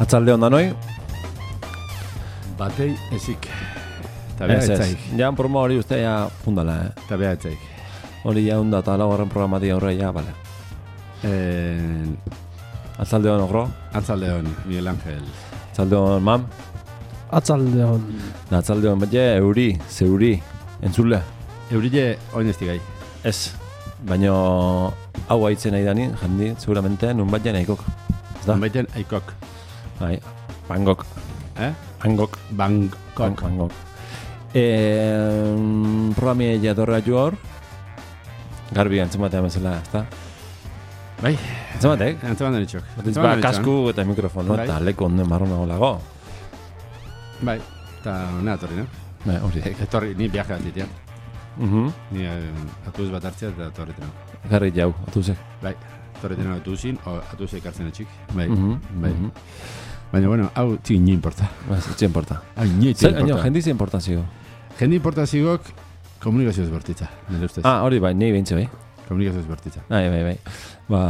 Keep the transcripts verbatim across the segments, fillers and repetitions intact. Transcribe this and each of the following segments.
Atzalde onda noi? Batei ezik. Eta beha etzaik. Ja, programa hori uste ja fundala, eh? Eta beha etzaik. Hori ja hunda eta laugarren programatik aurre ja, bale. Eh, Atzalde hon, ogro? Atzalde hon, Miguel Ángel. Atzalde hon, mam? Atzalde hon. Da, atzalde hon, bete, euri, zeuri, entzule. Eurille oinezti gai. Ez, baino hau haitzen nahi dani, jandi, seguramente, nun bat jena ikok. Ez da? Baiten aikok. Bai, Bangkok. Eh? Bangkok. Bangkok. Bangkok. Eh, programi jatorra jo hor, garbi antzematea bezala, ez da? Bai. Antzematek? Antzeman denitxok. Batiz ba, kasku eta mikrofono, Bai. eta leko onden marronago lago. Bai. Eta nena torri, no? Bai, hori. Etorri, ni viaje bat ditiat. Mhm. Ni eh, atuz bat hartzea eta torri tena. Garri jau, atuzek. Bai. Torri tena atuzin, o atuz ekartzen etxik. Bai. Mhm. Bai. Mhm. Baina, bueno, hau txin ni importa. Ba, zitxe importa. Hau ni Zer, importa. aino, jendizi importazio. Jende importazigok komunikazio ezbertitza, nire ustez. Ah, hori bai, nahi behintze bai. Komunikazio ezbertitza. Bai, bai, bai. Ba,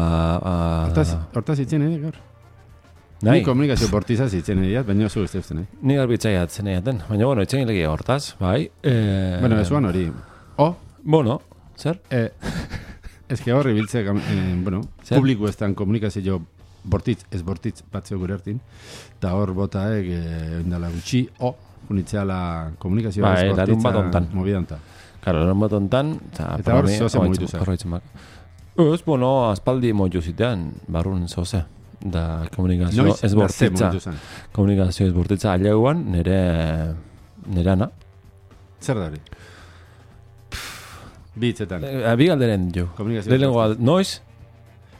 ba... Hortaz, hortaz itzen, eh, gaur? Nahi, Ni komunikazio bortizaz itzen ediat, baina zu ez uste, nahi. ni garbitzai atzen eiaten. Baina, bueno, itzen legia hortaz, bai. Eh, Bueno, esuan hori. O, Bueno, zer? eh, ez que horri biltze, eh, bueno, Zer? publiko estan komunikazio bortitz, ez bortitz batzeo gure hartin, eta hor botaek, eh, endala gutxi, o, unitzeala komunikazioa Bai, ez larun bat bortitza hontan. mobidantan. Karo, eran bat ontan, Eta hor zoze mugitu zen. Ez, bueno, aspaldi moitu zitean, barrun zoze. Da, komunikazio Noiz, ez arte bortitza. mugitu zen. Komunikazio ez bortitza aleuan, nire... Nire ana. Zer da hori? Bitzetan. E, bi galderen jo. Komunikazio Lehenengo gal- noiz?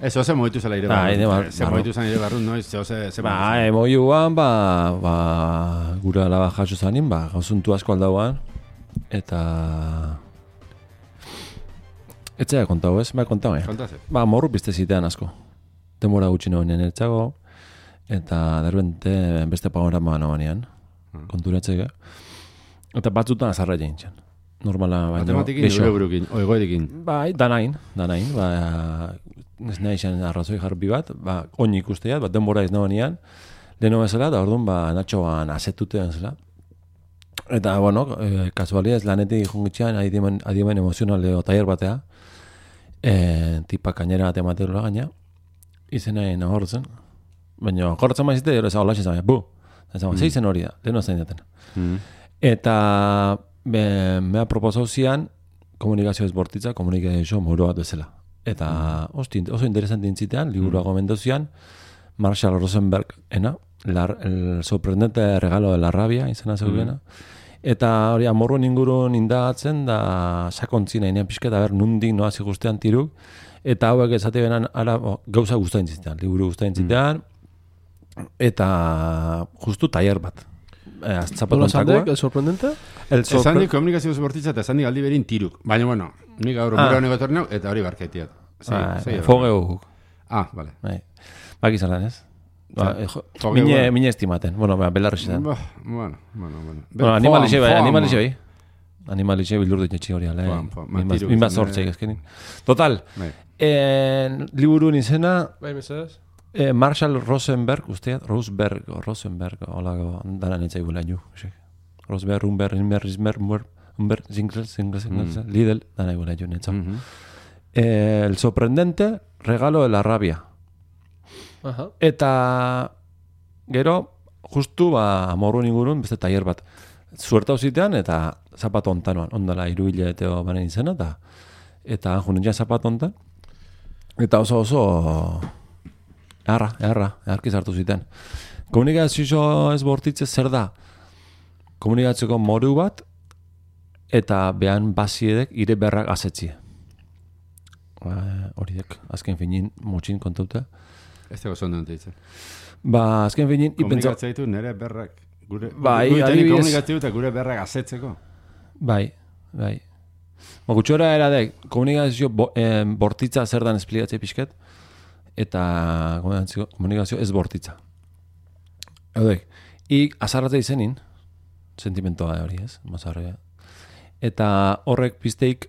Ez, oze mogitu zela ire Bai, ne, barrun. bar- Ze barrun. mogitu zen ire barrun, noiz, ze oze, ze Ba, emoiuan, ba, ba, gure alaba jaso zanin, ba, gauzuntu asko aldauan, eta... Etzea kontau, ez? Ba, kontau, eh? Kontazek. Ba, morru pizte zitean asko. Demora gutxi noenean ertzago, eta derbente beste panorama noenean, Hmm. konturatzeko. Eta batzutan azarra jaintzen. Normala, baina... Matematikin, geixo. eure burukin, oegoerekin. Bai, danain, danain, ba, ez nahi izan arrazoi jarbi bat, ba, oin ikusteat, bat denbora ez nagoenean, leheno bezala, eta orduan, ba, natxoan azetutean zela. Eta, bueno, e, kasualiaz lanetik jungitxean, adiemen, adiemen emozionaleo taier batea, e, tipa kainera bat ematerola gaina, izenaren ahortzen, baina ahortzen maizite, gero ez hau laxen zabe, bu, ez hau, Mm. zeizen hori da, leheno zain daten. Mm. Eta be, mea proposau zian komunikazio ezbortitza, komunikazio moro bat bezala. Eta osti, oso interesante intzitean, liburua gomendau zian, Marshall Rosenberg, ena, la, el sorprendente regalo de la rabia, izena zeugena. Eta hori amorruen ingurun indagatzen, da sakontzina inean pixketa, ber, nundik noa zigustean tiruk, eta hauek esate benan ara, o, gauza guztain zitean, liburu guztain zitean, eta justu taier bat. Eh, Nola Zapatontakoa. sandek, el sorprendente? El Esan sorpre... di komunikazio bortitza eta esan di aldi berin tiruk. Baina, bueno, nik gaur Ah. bura honego torneu, eta hori barketiat. Fogeu. Ah, vale. Bai. Baki zalan, ez? Ba, Zer? eh, jo, Fogeu, mine, bueno. mine estimaten. Bueno, ba, belarrizetan. Bah, bueno, bueno, bueno. Bueno, animalixe bai, Foam, animalixe foam. bai. Animalixe bildur ditxetxe hori, ale. Foam, foam. Minbaz Matiru minbaz izan, sortzeik eh. ezkenin. Total, Bai. en, liburun izena, Bai, mesedez? eh, Marshall Rosenberg, usteat, Rosenberg, o Rosenberg, hola, dana netzai gula nio. Rosenberg, Rumberg, Rimberg, Rizmer, Rumberg, Rumberg, Zingler, Zingler, Zingler, Lidl, dana gula nio netza. Mhm. Eh, el sorprendente regalo de la rabia. Aha. Eta gero, justu, ba, amorruen ingurun, beste taier bat. Zuertau zitean, eta zapato ontanoan, ondala, iru hileteo banen izena, eta eta junen ja zapato ontan. Eta oso oso eharra, eharra, eharki zartu zitean. Komunikazio ez bortitze zer da? Komunikazioko moru bat, eta behan baziedek ire berrak azetzie. Ba, horiek, azken finin, motxin kontauta. Ez dago zondo ditzen. Ba, azken finin, ipentza... Komunikatzea ditu nire berrak. Gure, Bai, gure adibidez- komunikatzea eta gure berrak azetzeko. Bai, bai. Ba, gutxora eradek, komunikazio bo, eh, bortitza zer dan esplikatzea pixket, eta komunikazio, komunikazio ez bortitza. Eudek, ik azarratzea izenin, sentimentoa hori ez, mazarrea. Eta horrek pizteik,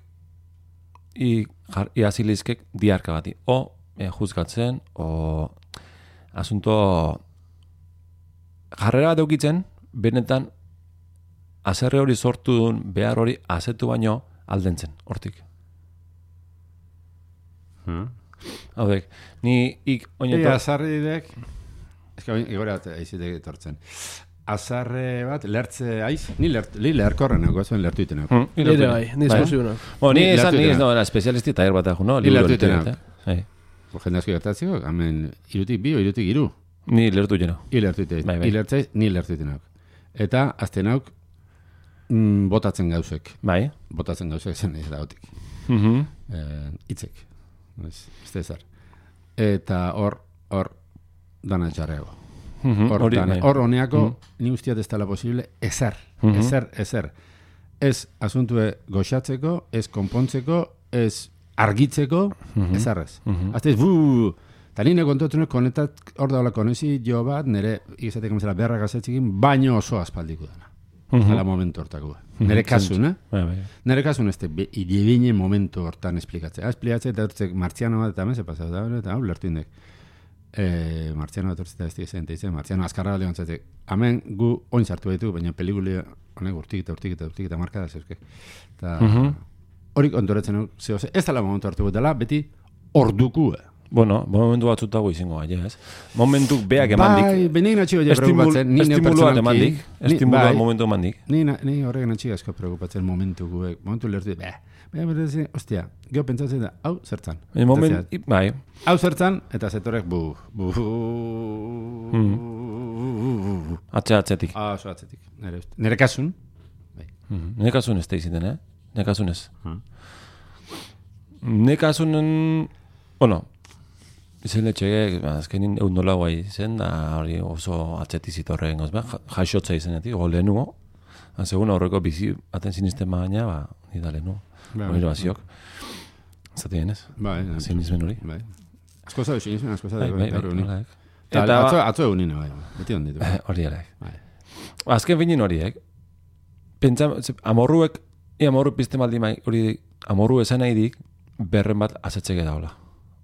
i, jar, iazilizkek diarka bati. O, e, juzgatzen, o asunto jarrera bat eukitzen, benetan, azerre hori sortu duen, behar hori azetu baino aldentzen, hortik. Hmm. Haudek, ni ik Ea, oineto... azarri dek, ez que igora aizitek etortzen. Azarre bat, lertze aiz, ni, lert, li leherkorren nago, zuen lertu itenak. Hmm, Nire bai, ni esplosiunak. Bueno, ni Ni esan, lertu ni ez itenak. no, espezialisti taller bat dago, no? Ni Liburu lertu lertu itenak. itenak, eh? Jende asko gertatzeko, hemen irutik bi o irutik iru. Ni lertu jeno. I lertu itenak. Bai, bai. I lertzaiz, ni lertu itenak. Eta, azten hauk, mm, botatzen gauzek. Bai. Botatzen gauzek zen ez da gotik. Mhm. Eh, itzek. Ez, ez da ezer. Eta hor, hor, dana txarreago. Mhm, Hor, hori, dana- bai. hor honeako, Mhm. ni ustiat ez dela posible, ezer, Mhm. ezer, ezer. Ez asuntue goxatzeko, ez konpontzeko, ez argitzeko, Mhm. ezarrez. Mhm. Azte ez, buuu, eta nire kontuatunek konetat, hor daula konezi jo bat, nire, izatek emezela beharra gazetzikin, baino oso aspaldiko dena. Mhm. Hala momentu hortako. Nire kasun, eh? Bai, bai. Nire kasun ez, idibine momentu hortan esplikatzea. Ah, esplikatzea eta hortzek martziano bat eta hemen ze pasau da, eta hau lertu indek. E, martziano bat hortzeta ez dizen, eta izan, martziano azkarra leon zatek. Hemen gu oin sartu baitu, baina pelikuli honek urtik eta urtik eta urtik eta markada zeuzke. Eta Mhm. hori kontoretzen hau, zeo, ze, ez dela momentu hartu dela, beti orduku. Bueno, momentu batzutago izango gaia, ez? Momentuk beak emandik. Bai, benik natxi goia Estimul, preocupatzen. Ni neu estimulua pertsonalki- emandik. ni- Estimulua bai, momentu emandik. Ni, na- ni horrek natxi asko preocupatzen momentu guek. Momentu lertu, beh, baina berdezen, ostia, geho pentsatzen da, hau zertzan. El moment, Eta zea, bai. hau zertzan, eta zetorek bu, bu, Hmm. Atze atzetik. Ah, oso atzetik. Nere, uste- nere kasun, Mhm. Nire kasun ez da iziten, eh? Nire kasun ez. Hmm. Nire kasunen, bueno, izen letxegek, azkenin egun nola guai zen, da hori oso atzetik zitorren gozba, jaixotza izenetik, go lehenugo. Segun aurreko bizi baten sinisten baina, ba, nida lehenugo. Bai, Hori bai. baziok. Zati denez, bai, zinismen hori. bai. Asko zau, sinizmen, asko zau, Bai, bai, bai, bai, holaek. Eta Eta atzo, ba- atzo egunina, bai, beti onditu. Eh, hori ere. Bai. Azken finin horiek, pentsa, ze- amorruek, i amorru pizte maldi mai, hori amorru esan nahi dik, berren bat azetzeke daula.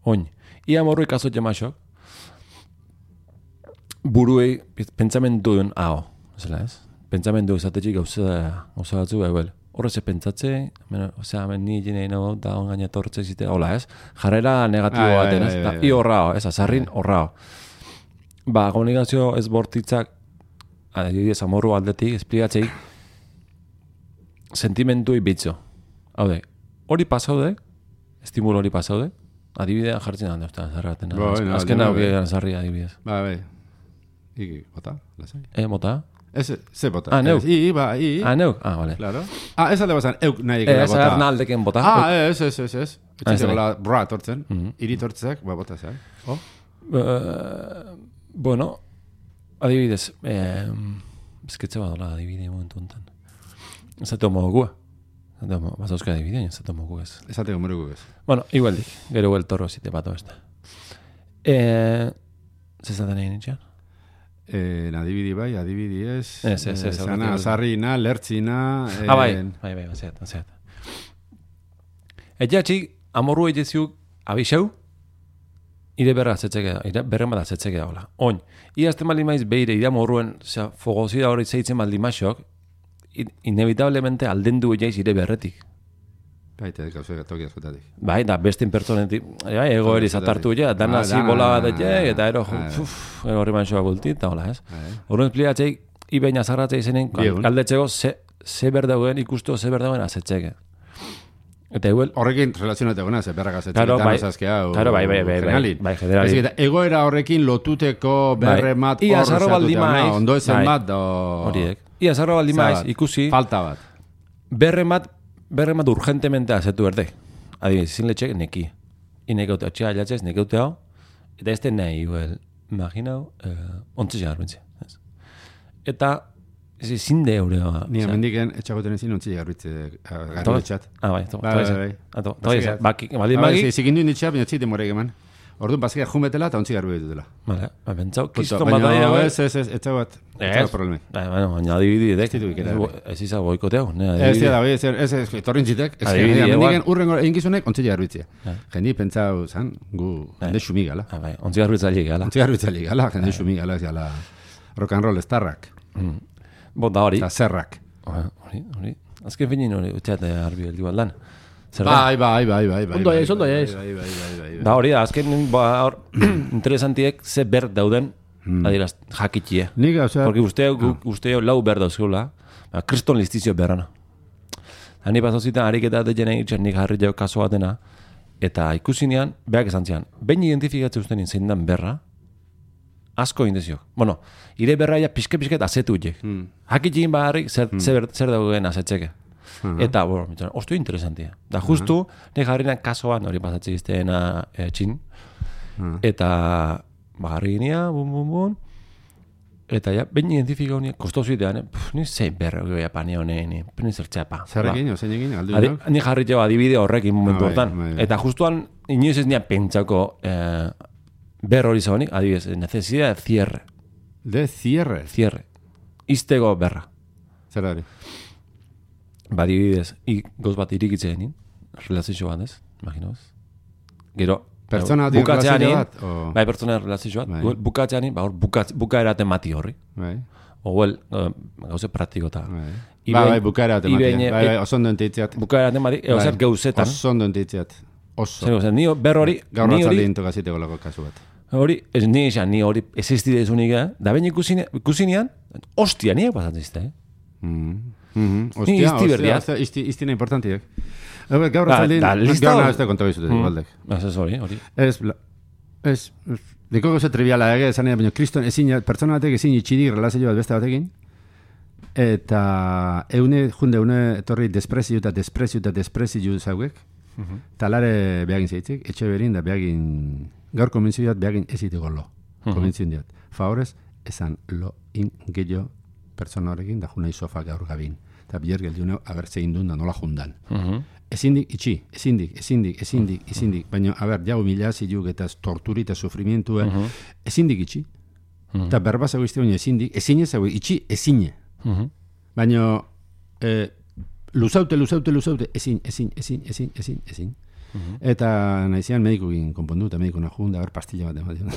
Oin, i amorru ikazot jamasok, buruei piz- pentsamendu duen hau, zela ez? Pentsamendu izatetxik gauza, gauza batzu, eguel. Horre ze pentsatze, hemen, osea, hemen ni jine nago, da ongaina tortze zite, hola ez? Jarrera negatibo Bai, bai, baten, ez? bai, Da, bai, bai. I horrao, ez, azarrin horrao. Ba, komunikazio ez bortitzak, adibidez, amorru aldetik, esplikatzei, sentimentui bitzo. Haude, hori pasaude, estimulo hori pasaude, adibidea jartzen da, usta, zarra baten. Bai, no, Azken no, hau bai. zarri adibidez. Bai, bai. Iki, bota, lasai. E, mota? Ez, ze bota. Ah, neu. Ez, I, ba, i. Ah, neuk? Ah, vale. Claro. Ah, ez alde bazan, euk nahi E, ekela ez bota. agar naldeken bota. Ah, ez, ez, ez, ez. Ah, ez Etxe da. gola, bra, tortzen. Mhm. Iri tortzak, ba, bota zai. Oh? Eh, bueno, adibidez, eh, ezketze badola adibide momentu honetan. Ez atu mogua. Bazauzka adibidea, ez atu mogu ez. Esateko morugu ez. Bueno, igualdik, gero el toro zite bato ez da. Eh, zezaten egin itxean? Eh, adibidi bai, adibidi ez. Ez, ez, ez, Eh, Zana, aurretik- azarrina, lertzina. Eh, Ah, bai, bai, bai, bazeat, bazeat. Eta txik, amorru egiziuk abixeu, ire berra azetzeke da, ire berren bat azetzeke da, hola. Oin, iazten baldin maiz beire, ire amorruen, osea, fogozida hori zeitzen baldin maixok, in- inevitablemente aldendu jaiz ire berretik. Bai, eta gauze toki askotatik. Bai, da bestin pertsonetik, bai, ego eri zatartu ja, dan Ah, hasi dana, bola bat etxe, eta ero, ah, uf, ero horri manxoa bulti, eta hola, ez? Bai. Horren esplikatzei, ibein azarratzei zenen, Biegun. galdetzeko, ze, ze berdauen, ikustu ze berdauen azetzeke. Eta eguel, Horrekin relazionatu gona, ze berra gazetzen. Claro, bai. hau. Claro, bai, bai, bai, bai. generalin. Bai, generalin. Ez, eta egoera horrekin lotuteko berre Bai. mat Ia hor azarro zehatuta, baldin ona, maiz. Ondo ezen Bai. bat, do... horiek. Ia zarro baldin maiz, Zabat. ikusi, Falta bat. berren bat, berren bat urgentemente azetu berde. Adibidez, zin letxek neki. Inekeute, atxea alatzez, nekeute hau, eta ez den nahi, well, imaginau, uh, ontzea garbentze. Eta, ez ezin de eure. Ni amendiken etxagoten ezin ontzi garbitze garbitxat. Ah, bai, to, Bai, to, bai, bai, bai. to, to, Basika- to, baki, baldin Bai, baki, zi- zikindu inditxea, baina txite morek eman. Orduan, bazkia jumetela eta ontzi garbi ditutela. Vale, ba, bentsau, Punto. kiston bat Baina, daia, ez, ez, ez, etxa bat. Ez. Ez, problemi. Bai, bueno, baina adibidi edek. Ez ditu ikera, bai. Ez izan boikoteau, ne, Ez, adibidi. da, bai, ez, ez, ez, etorrin zitek. Ez, Adibidi, amendiken igual. urrengo eginkizunek ontzi garbitzea. Ja. Jendi pentsau, zan, gu, jende xumi gala. Ah, bai, ontzi garbitzaile gala. Ontzi garbitzalik, gala, jende xumi gala, ez gala. rock and roll estarrak. Mm. Bo, da hori. Eta zerrak. Hori, hori. Azken finin hori, utxeate arbi beldi bat lan. Zer da? Bai, bai, bai, bai, bai. Ondo aiz, ondo aiz. Bai, bai, bai, bai. Da hori, azken ba, hor, interesantiek ze ber dauden, adiraz, jakitie. Nik, osea... Porque uste, uste lau ber dauzkeula, ba, kriston listizio berrana. Hani pasauzitan, ariketa deien egiten nik harri jau kaso batena, eta ikusinean, behak esan zian, behin identifikatze ustenin zein dan berra, asko indeziok. Bueno, ire berraia pixke-pixket azetu uiek. Hmm. Hakitxin baharrik zer, hmm. zer, zer dagoen azetzeke. Uh -huh. Eta, bueno, mitzaren, ostu interesantia. Da, justu, uh -huh. nik jarrinan kasoan hori pasatzen izteena e, txin. Uh -huh. Eta, baharri ginean, bum, bum, bum. Eta, ja, behin identifika honia, kostozu idean, eh? Puf, ni zein berra goia pani honen, ni zertxepa. Zerrekin, ozein egin, aldu Adi, ni jarri jau adibide horrekin momentu ah, hortan. bai, bai. Eta justuan, inoiz ez nian pentsako eh, ber hori zagonik, adibidez, necesidad de cierre. De cierre? Cierre. Iztego berra. Zer hori? Ba, adibidez, i, goz bat irikitzen egin, relazio bat ez, imaginaos. Gero, pertsona bat relazio bat? O... Bai, pertsona relazio bat. Bai. Bukatzean egin, ba, hor, buka, buka eraten mati horri. Bai. Oguel, uh, gauze praktiko eta. Bai, bai, bai buka eraten mati. Bai, bai, oso ondo entitziat. Buka eraten mati, ego zer gauzetan. Oso ondo entitziat. Oso. Zer gauzetan, ni ber hori... Gaur ratzaldi intokaziteko lako kasu bat. Hori, ez ni esan, ni hori existide ezunik, eh? Da behin ikusinean, ostia, niak pasatzen zizte, eh? Mm. Mm-hmm. Ostia, ostia, ostia, isti, istina importantiek. Gaur ratzaldi, gaur nahazte konta bizutetik, mm. baldek. Ez hori, hori. Ez, ez, diko gozo triviala ege, esan baina, kriston, ezin, pertsona batek ezin itxidik relazio bat beste batekin, eta eune, junde, eune, etorri desprezio eta desprezio eta desprezio zauek, mm-hmm. talare behagin zeitzik, etxe berin da behagin, gaur konbentzio bat behagin eziteko lo, mm-hmm. konbentzio diat. Favorez, esan lo in gehiago pertsona horrekin, da junai sofa gaur gabin. Eta bier geldiuneo, abertze indun da nola jundan. Mm-hmm. Ezindik, itxi, ezindik, ezindik, ezindik, ezindik, baina, aber, jau mila ziluk eta torturi eta sufrimientu, uh-huh. ezindik itxi. Eta uh-huh. berba zago izte, baina ezindik, ezine zago, itxi, ezine. Uh-huh. Baina, eh, luzaute, luzaute, luzaute, ezin, ezin, ezin, ezin, ezin, ezin. Uh-huh. Eta nahizean medikukin konpondu, eta mediku nahun, da ber pastilla bat ematen.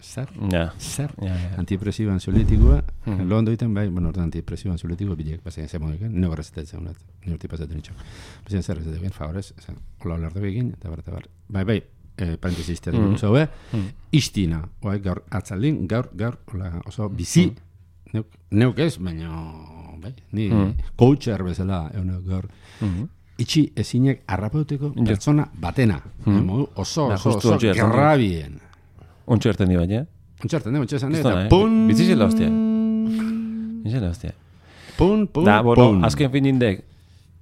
Zer? Ja. Zer? Ja, ja. Antidepresibo ansiolitikoa, uh-huh. lo ondo egiten, bai, bueno, ordan antidepresibo ansiolitiko bilek, pasen zemon egin, nio berrezetetzen honat, nio urti pasatzen itxok. Pasen zer rezetetzen egin, favorez, hola olardu egin, eta bar, eta bar. Bai, bai, eh, parentesi izteatik uh-huh. zau, eh? Uh-huh. Istina, oai, gaur atzaldin, gaur, gaur, hola, oso bizi, uh-huh. neuk, neuk ez, baina, bai, ni uh-huh. coacher bezala, egun gaur, uh-huh. itxi ezinek arrapauteko pertsona batena. Hmm. Oso, oso, oso, gerrabien. Ontsu erten di baina? Ontsu erten di, ontsu esan di. Eta pun... Bitzizela hostia. Bitzizela hostia. Pun, pun, da, bueno, pun. Azken fin indek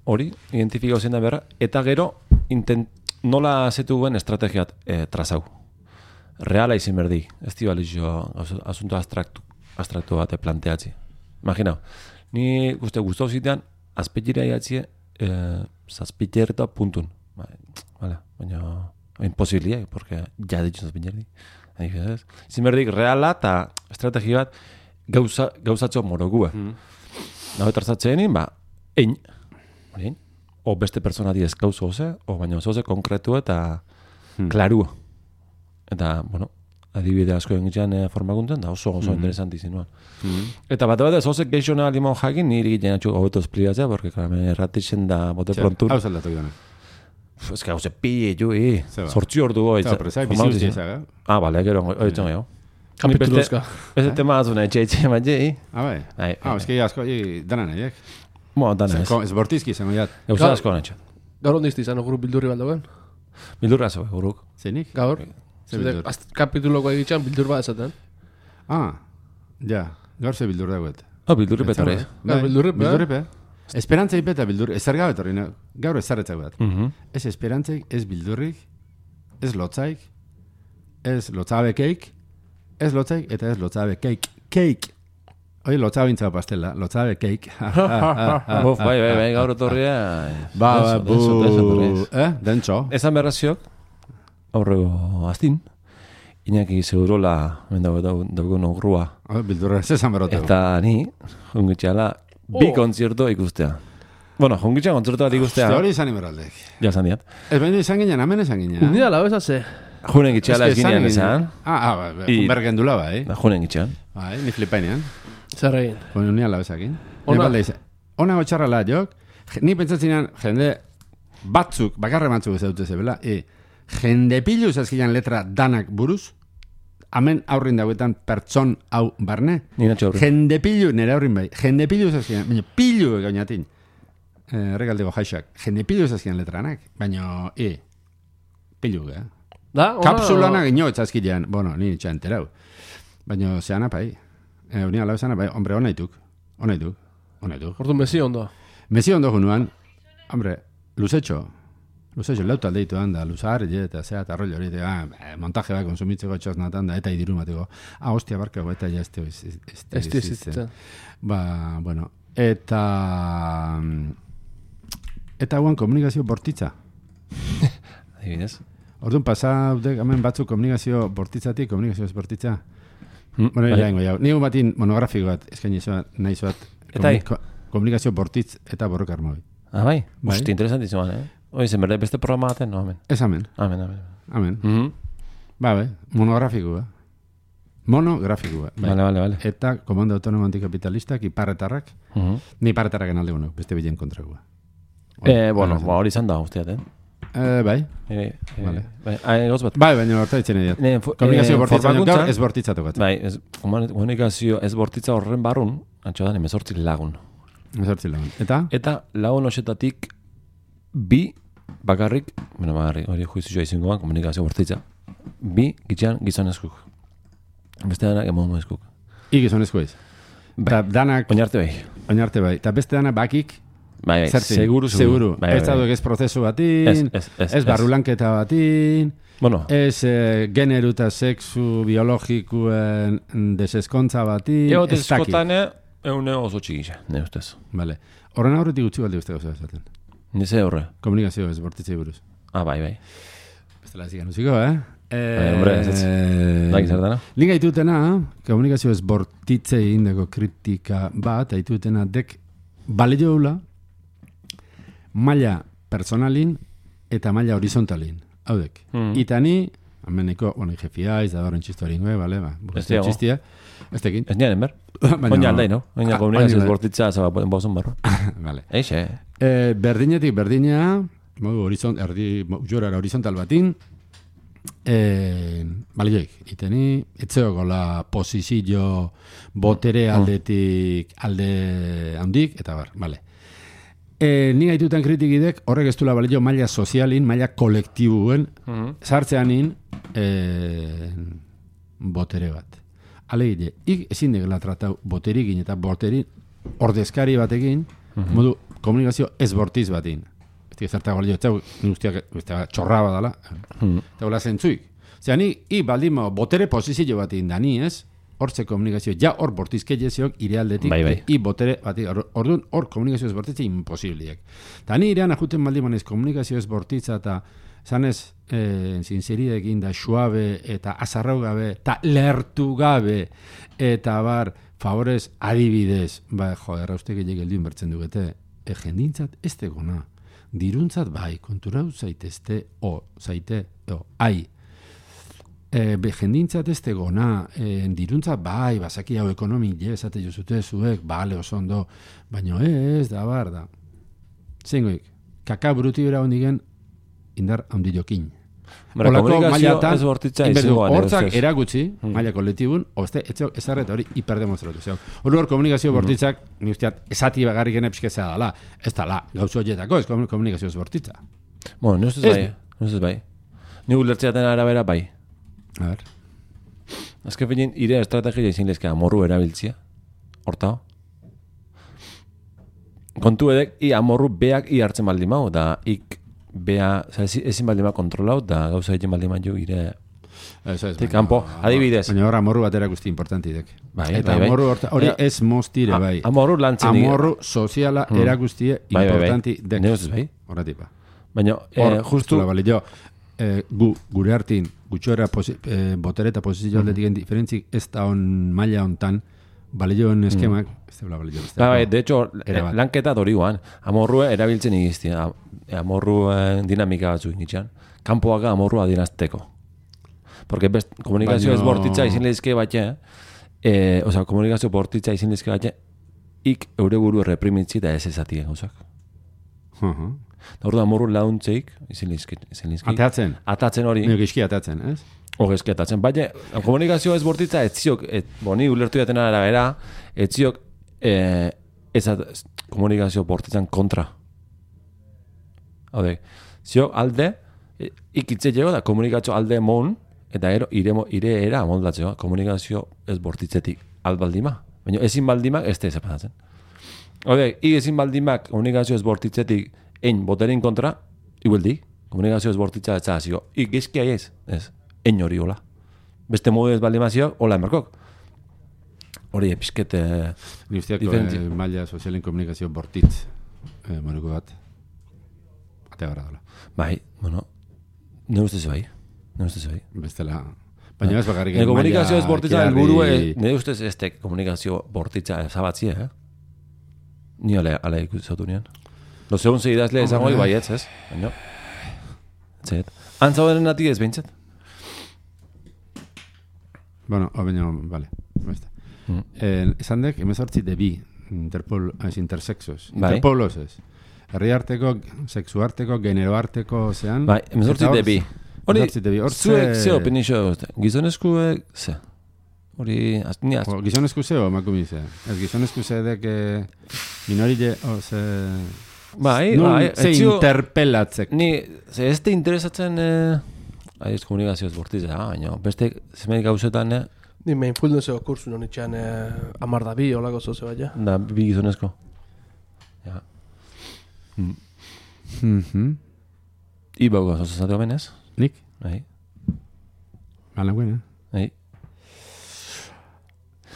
hori, identifikau zen da berra, eta gero intent, nola zetu guen estrategiat eh, trazau. Reala izin berdi. Ez di balizio asunto abstraktu, abstraktu bate planteatzi. Imaginau, ni guzti guztau zitean, azpetxira iatzie, eh, zazpitxerta puntun. Vale, baina imposibilia, porque ja ditxun zazpitxerdi. Izin berdik, reala eta estrategi bat gauza, gauzatxo morogua. Mm. Nago etartzatzen, ba, ein, ein, o beste persona diez gauzo oze, o baina oso oze konkretu eta mm. klarua. Eta, bueno, adibide asko egin e, formakuntzen, da oso oso mm. interesanti zinuan. Mm. Eta bat bat ez oso geixona limon jakin, niri egiten atxu hobeto espliatzea, porque klarame erratitzen da bote prontun. Hau zaldatu gana. Ez que hau ze pille, ju, i. Sortzi ordu goi. Zaba, pero zai, bizi usti ezaga. Ah, bale, gero, oitzen gehiago. Kapitulozka. Ez tema azuna, etxe, etxe, etxe, etxe. Ah, bai. Ah, ez que asko, dana nahiek. Mo, dana ez. Ez bortizki izango jat. Gauza asko nahi. Gaur ondizti izan, guru bildurri baldagoen? Bildurra zo, guruk. Zeinik? Gaur. Kapituloko egitxan bildur bat esaten. Ah, ja. Gaur ze bildur dagoet. Ah, bildurri petore. Gaur bildurri pe. Bildurri pe. Esperantzai peta bildur, ez zargabe torri, gaur ez zarretzak bat. Uh-huh. Ez esperantzaik, ez bildurrik, ez lotzaik, ez lotzabekeik, ez lotzaik, eta ez lotzabekeik. Keik! Hoi, lotzabintza pastela, lotzabekeik. Buf, bai, bai, bai, gaur otorria. Ba, ba, bu... Eh, dentxo. Ezan berraziok, aurrego aztin, Iñaki segurola, mendagoen ogrua. Bildurra, ez esan berrotegu. Eta ni, ungitxala, bi oh. kontzerto ikustea. Bueno, jongitxan kontzerto bat ikustea. Hostia, hori izan imeraldek. Ja, esan diat. Ez baina izan ginen, amen izan ginen. Nida, lau ez haze. Junen gitxeala Es que esginean esan- esan. Ah, ah, ba, I- bergendula ba, eh? Da, Junen gitxean. Bai, ni flipainean. Zer egin. Bueno, ni alabezakin. Ona. Ona gotxarrala, jok. Je- Ni pentsatzenean, jende batzuk, bakarre batzuk ez dute zebela, e, jende piluz azkilan letra danak buruz, hemen aurrin dauetan pertson hau barne, Ni natxo aurri. jende pilu, nire aurrin bai, jende piluz azkilan, baina pilu egainatin, eh, regaldego jaixak, jende piluz azkilan letranak, baina, e, pilu, eh? Da, ona... Kapsulana gino azkilan, bueno, ni itxa enterau, baina zeana pai, eh, unia alabezana bai, hombre, onaituk, onaituk, onaituk. Ordu mezi ondo. Mezi ondo junuan, hombre, luzetxo, luzetxo, lauta aldeituan da, luzar, je, eta zea, eta rollo hori, ah, eh, montaje bat konsumitzeko txosnatan da, eta idiru mateko, ah, hostia, barkago, eta ja, este, este, este, Ez dizitzen. Ba, bueno, eta, eta guan komunikazio bortitza. Adibidez. Orduan, pasaudek, hemen batzuk komunikazio bortitzatik, komunikazio ez bortitza. Mm, Bueno, bai. iraingo jau. Nigu batin monografiko bat, eskaini zuat, nahi zuat, Eta hi? komunika- komunikazio bortitz eta borroka armoi. Ah, bai? Bai. Hosti, interesantizuan, eh? Hoi, zen berde beste programa baten, no, amen. Ez amen, Amen, amen. amen. Mhm. Ba, be, monografikoa. Monografikoa. Bai. Vale, vale, vale. Eta komando autonomo antikapitalistak, iparretarrak, Mhm. ni iparretarraken alde gonok, beste bilen kontrakoa. Eh, bueno, ba, hori izan da, usteat, eh? Eh, bai. Eh, eh, Vale. Bai, ah, goz bat. Bai, baina horta ditzen edo. Ne, fo- Komunikazio eh, bortitza, baina formakuntzan- gaur ez bortitza tokatzen. Bai, ez, komunikazio ez bortitza horren barrun, antxo da, emezortzi lagun. Ezortzi lagun. Eta? Eta lagun osetatik bi bakarrik, bueno, bakarrik, hori juizioa izingoan, komunikazio bortitza, bi gitxean gizonezkuk. Beste danak emakumezkuk. I gizonezko ez. Eta danak, Oinarte bai. oinarte bai. Eta beste danak bakik, Bai, bai, zertin? seguru, seguru. Bai, Ez bai, daude bai. ez prozesu batin, Ez, ez, ez, ez barrulanketa batin, Bueno, ez eh, generu eta sexu biologikuen deseskontza batin, ego ez dakit. tezkotane, eune oso txikisa, ne ustez. Vale. Horren aurretik gutxi balde beste gauza esaten. Nize horre. Komunikazio ez bortitzei buruz. Ah, bai, bai. Bestela ez ikan uziko, eh? Eh, Bai, hombre, ez ez. Bai, zer dana? Linga itutena, komunikazio ez bortitzei indeko kritika bat, aitutena dek balioula maila personalin eta maila horizontalin. Haudek. Mm. Itani, ameneko, bueno, jefia, ez da horren txistuari ingoe, bale, ba, Ez diago. txistia, ez tekin. Ez nian, enber? Baina- Oina aldai, no? Oina Ah, komunikazio ez oina- bortitza, zaba, bozun barro. Vale. Eixe. E, berdinetik berdinea, modu horizont, erdi, jorara horizontal batin, e, balioik, iteni, etzeoko la posizio botere aldetik alde handik, eta bar, vale. E, ni gaituten kritikidek, horrek ez duela balio maila sozialin, maila kolektibuen, Mhm. sartzeanin e, botere bat. Alegile, ik ezin degela tratau boterikin eta boterin ordezkari batekin, modu komunikazio ez bortiz batin. Ez zerta balio, ez zau, ni guztiak, ez txorra badala, Mhm. eta hola zentzuik. Zera, ni, i baldimo, botere posizio batin da ni, ez? Hortze komunikazio, ja hor bortizke jeziok irealdetik, Bai, bai. i botere batik, orduan hor komunikazio ez bortitza imposibliak. Ta ni irean ajuten baldimanez komunikazio ez bortitza eta zanez, eh, zinzeridekin da suabe eta azarrau gabe, eta lertu gabe, eta bar, favorez, adibidez, ba, jo, erraustek egin geldin bertzen dugete, e, jendintzat ez tegona, diruntzat bai, konturau zaitezte, o, zaite, o, ai, e, be, jendintzat ez tegona, e, diruntzat bai, bazaki hau ekonomi, je, esate jozute zuek, bale, oso ondo, baino ez, da bar, da. Zengoik, kaka bruti bera hondigen, indar handiokin. Bara, Olako komunikazio mailatan, ez bortitza inberdu, izingoan. hortzak ustez. eragutzi, maila kolektibun, oste, etxeo, ezarret hori hiperdemonstratu. Zeu, hori hor komunikazio bortitzak, ni usteat, esati bagarrik genepskeza dala, ez dala, gauzo horietako, ez komunikazio ez bortitza. Bueno, ni ustez Ez- bai, ni ustez bai. Ni ulertzeaten arabera bai. A ver. Azken finean, ire estrategia izin lezke amorru erabiltzia. Horta. Kontu edek, i amorru beak i hartzen baldin mau, da ik bea, oza, ezi- ezin baldin ma kontrolau, da gauza egin baldin ma jo ire... Ez, ez, Tik baina- kanpo, adibidez. Baina hor amorru batera guzti importantidek. Bai, Eta bai, bai. amorru horta, hori Baina- ez moztire, A- bai. amorru lantzen nik- Amorru soziala Hmm. erakustie Bai, bai, bai. importanti dek. Ne ustez bai. Horratipa. Baina, Hor, eh, justu... zula, bale, jo, eh, gu, gure hartin, gutxora posi, eh, botere eta posizio Hmm. aldetik diferentzik ez da on maila hontan, bale joen eskemak, ez da bale jo, Ba, bai, de hecho, Era bat. lanketa dori guan. Amorrua erabiltzen igiztia. Amorru eh, dinamika batzuk nitxan. Kanpoaka amorrua dinazteko. Porque best, komunikazio Baino- ez bortitza izin lehizke batxe, eh, osea, komunikazio bortitza izin lehizke batxe, ik eure buru reprimitzi eta ez ezatik gauzak. Uh-huh. Da orduan morru launtzeik, izin lehizke, izin lehizke. Atatzen. Atatzen hori, Nio gizki atatzen, ez? hogezki atatzen. Baina, komunikazio ez bortitza, etziok, et, boni, ulertu jaten arabera, etziok, eh, ez at, komunikazio bortitzan kontra. Haude, ziok alde, e, ikitze jego da komunikazio alde mon, eta ero, ire, ire era moldatzeo, komunikazio ez bortitzetik albaldima. Baina ezin baldimak ez da ezapatatzen. Haude, ik ezin baldimak komunikazio ez bortitzetik ein boterin kontra, igueldik, komunikazio ez bortitza ez zazio, ik gezkia ez, ez, ein hori hola. Beste modu ez baldimazio, hola emarkok. Hori episket... Eh, Ni usteak diferentzia. eh, maila sozialen komunikazio bortitz eh, moruko bat. Ate gara dela. bai, bueno, ne ustez bai, ne ustez bai. Bestela... Baina ez bakarrik... Ne komunikazio ez maila bortitza kearri- helburu, eh, ne ustez ez tek komunikazio bortitza zabatzie, eh? Ni ale, ale ikusatu nian. Lo segun ze idazle esango Hombre. bai ez, ez? Baina, zet. Antzauderen nati ez behintzat. Bueno, o baina, vale. Beste. Mm. Eh, esan dek, emezortzi de bi, interpol, ez intersexos. Bai. Interpolos ez. Herri arteko, sexu arteko, genero arteko, zean. Bai, emezortzi Eta hor- de bi. Hori, emezortzi de bi. Hor zuek ze- ze opinixo dute. Gizonezkuek, ze. Hori, az, ni az, O, gizonezku zeo, emakume ze. Ez gizonezku ze dek eh, minorile, o, ze... bai, Nun, bai, ze etzio- interpelatzek. Ni, ze ez te interesatzen, eh, aiz komunikazio ez bortitza, baina beste zemeik gauzetan, eh, Ni mindfulnesseko kursu non itxan eh, amar da bi, olako zoze baina. da bi gizonezko. Ja. Mm. Mhm. Ibauko, zozazatu benez? Nik? Bai, Ala buena. bai.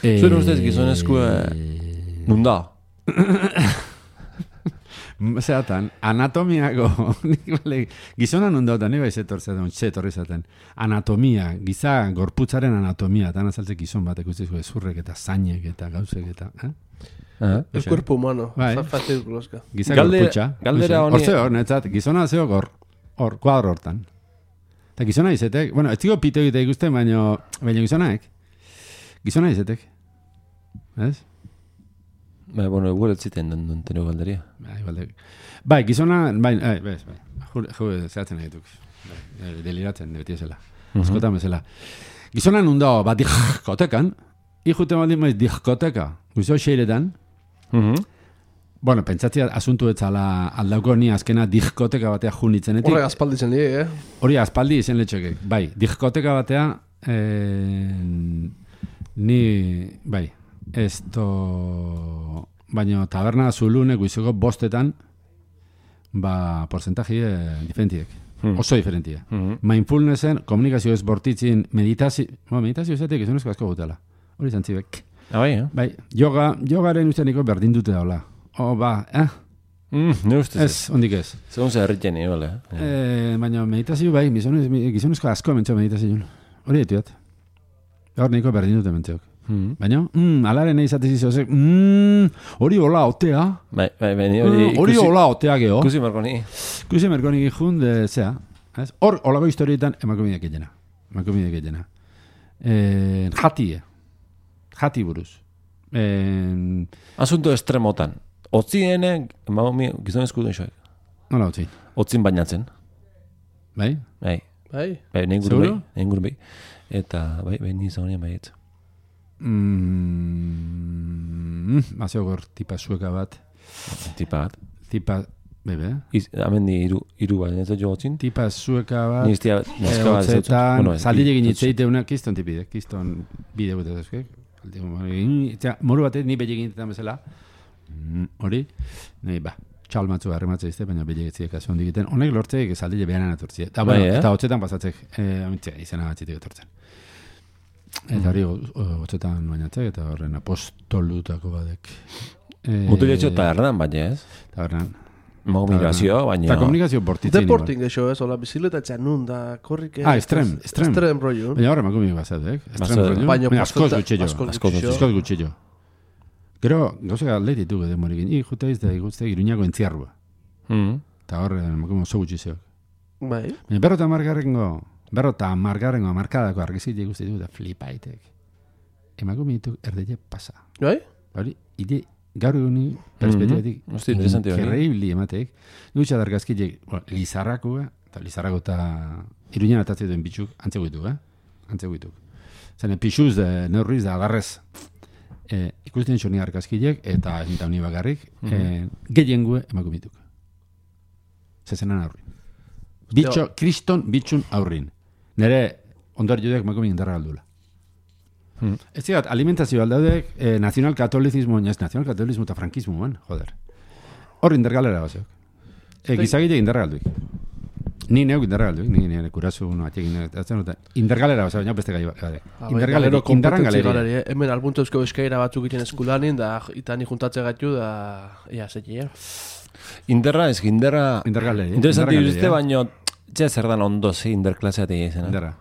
Eh, Zuen ustez gizonezko, eh, nun da? Zeratan, anatomiako, nik bale, gizona non dauta, ni bai zetor zaten, zetorri zaten. Anatomia, giza gorputzaren anatomia, eta azaltzek gizon batek ustezko ezurrek eta zainek eta gauzek eta, eh? Eh? El cuerpo humano. Bai. Fa- Fácil kloska. Giza Galde- gorputza. galdera Hor honi- zeo, hor, netzat, gizona zeo hor, hor, kuadro hortan. Eta gizona izetek, bueno, ez digo pito egitea ikusten, baino, baino gizonaek, gizona izetek. Ez? Bai, bueno, igual ez ziten den den tero galderia. Bai, igual. Bai, gizona, bai, bai, bai, bai. Ju, ju, zehatzen egituk. Bai, eh, deliratzen, beti ezela. Askotan bezala. Gizona nundao, bat diskotekan, ikute baldin maiz diskoteka, guzo xeiretan, Mhm. bueno, pentsatzea asuntu etzala aldauko ni azkena diskoteka batea junitzenetik. Horrek aspaldi zen lie, eh? Hori aspaldi izen letxekek. Bai, diskoteka batea, eh, ni, bai, esto, baino taberna zulune guizoko bostetan, ba, porcentaji eh, diferentiek. Hmm. Oso diferentia. Mhm. Mindfulnessen, komunikazio ez bortitzin, meditazio, bueno, meditazio ezatik izanezko asko gutela. Hori zantzibek. Ah, bai, eh? Bai, yoga, yogaren usteniko berdin dute daula. O, ba, eh, Mm, ne ustez ez. ez, ondik ez. Segun ze herritzen igual, eh? Eh, baina meditazio bai, gizonez, gizonezko asko mentxo meditazioan. Hori dituat. Hor niko berdin dute mentxeok. Mhm. Baina, mm, alaren nahi zatez izozek, mm, hori hola otea. Bai, bai, bai, ni Mm, hori Hori ikusi- hola otea geho. Ikusi marko ni. Kusi merkonik ikun, de, zea. Ez? Hor, holako historietan emakumideak egena. Emakumideak egena. Eh, jati, jati buruz. Eh, Asunto estremotan. Otziene, emaumi, gizonezku duen xoek. nola utzi? Otzin bainatzen. Bai? Bai, Bai? bai, nahi inguru bai, Seguro? nahi inguru bai. Eta, bai, bai, ni zagonean bai ez. Mm, mazeo gor tipa zueka bat. Tipa bat. Tipa, bebe, Iz, hemen di iru, iru bat, ez da jo otzin. tipa zueka bat. Ni iztia, neska bat ez dut. Hotzetan, Bueno, zaldile bi- egin itzeite una, kiston tipide, kiston bide gute dezke. Moru batez, ni belle egin bezala. Mm, Hori, nahi, ba, txal matzu harrematze izte, baina belle egitziek kasu hondi egiten. Honek lortzeik zaldile behanan atortzie. Eta, Bai, bueno, eh? eta hotzetan pasatzek, eh, amintzea, izena batzitek etortzen. Eta hori, o- hotzetan bainatzek, eta horren apostolutako badek. Eh, Mutiletxo eta erdan, baina ez. Tabernan. Komunikazio, baina... Eta komunikazio bortitzen. Deporting eixo, ez, hola, bizikleta nun da, korrik... Ah, estrem, estrem. Estrem rollo. Baina horre emakumik bazadek. Estrem Bazaude. rollo. Baina Baina askoz porcenta- gutxillo. askoz Askoz gutxillo. Askoz gutxillo. Gero, gauzak atletitu gede morikin. I, jute izte, ikuste, iruñako entziarrua. Mhm. Eta horre, emakume oso gutxi zeok. Bai. Baina berrota margarrengo Berrota margarrengo markadako argizit ikusti du da flipaitek. Emakumitu erdele pasa. Bai? Hori, ide gaur eguni perspektibatik Mm-hmm. Hosti, interesante hori. increíble ematek. Dutxa dargazkitek, lizarrakoa, eta lizarrako eta iruñan atatzen duen bitxuk, antzeguitu, eh? Antzeguitu. Zene, pixuz, de, neurriz, da agarrez, e, ikusten txoni argazkitek, eta eta honi bakarrik, e, gehiengue emakumituk. Zezenan aurrin. Bitxo, kriston bitxun aurrin. Nere, ondar jodek emakumin indarra galdula. Mm. Ez zigat, alimentazio aldaudek, eh, nazional-katolizismo, ez nazional-katolizmo eta frankismo, man, joder. Hor indergalera bazeok. E, gizagite indergalduik. Ni neuk indergalduik, ni nire kurasu, no, atxekin, indergalera bazeok, baina beste gai gade. Indergalera, indarran galeria. Eh? Hemen albuntu eusko eskaira batzuk egiten eskulanin, da itani juntatze gaitu, da, ia, zetia. Inderra, ez inderra... Indergaleria. Interesanti duzte, baino, txea zer dan ondo ze inderklaseatik izena. Inderra.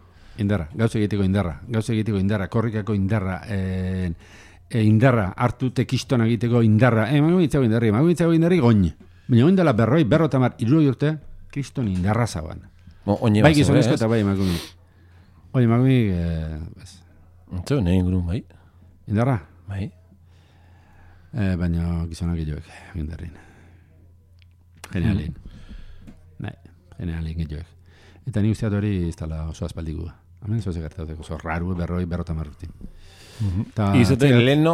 Indarra, gauza egiteko indarra, gauza egiteko indarra, korrikako indarra, e, e, indarra, hartu tekiston egiteko indarra, e, magu mitzago indarri, magu mitzago indarri goin. Baina oin dela berroi, berrotamar, iruroi urte, kriston indarra zauan. Oine bai bazo, gizonezko ez? eta bai emakumik. Oi, emakumik, e, bez, Zeu, nahi ingurun, bai. indarra, Bai. e, baina gizonak gehiagoek, indarrin. Genialin. Nahi, genialin gehiagoek. Eta ni usteat hori ez dala oso aspaldikua. Hemen zoze gertatek oso raru, berroi, berrotamar urte. Ta- Izate, leheno,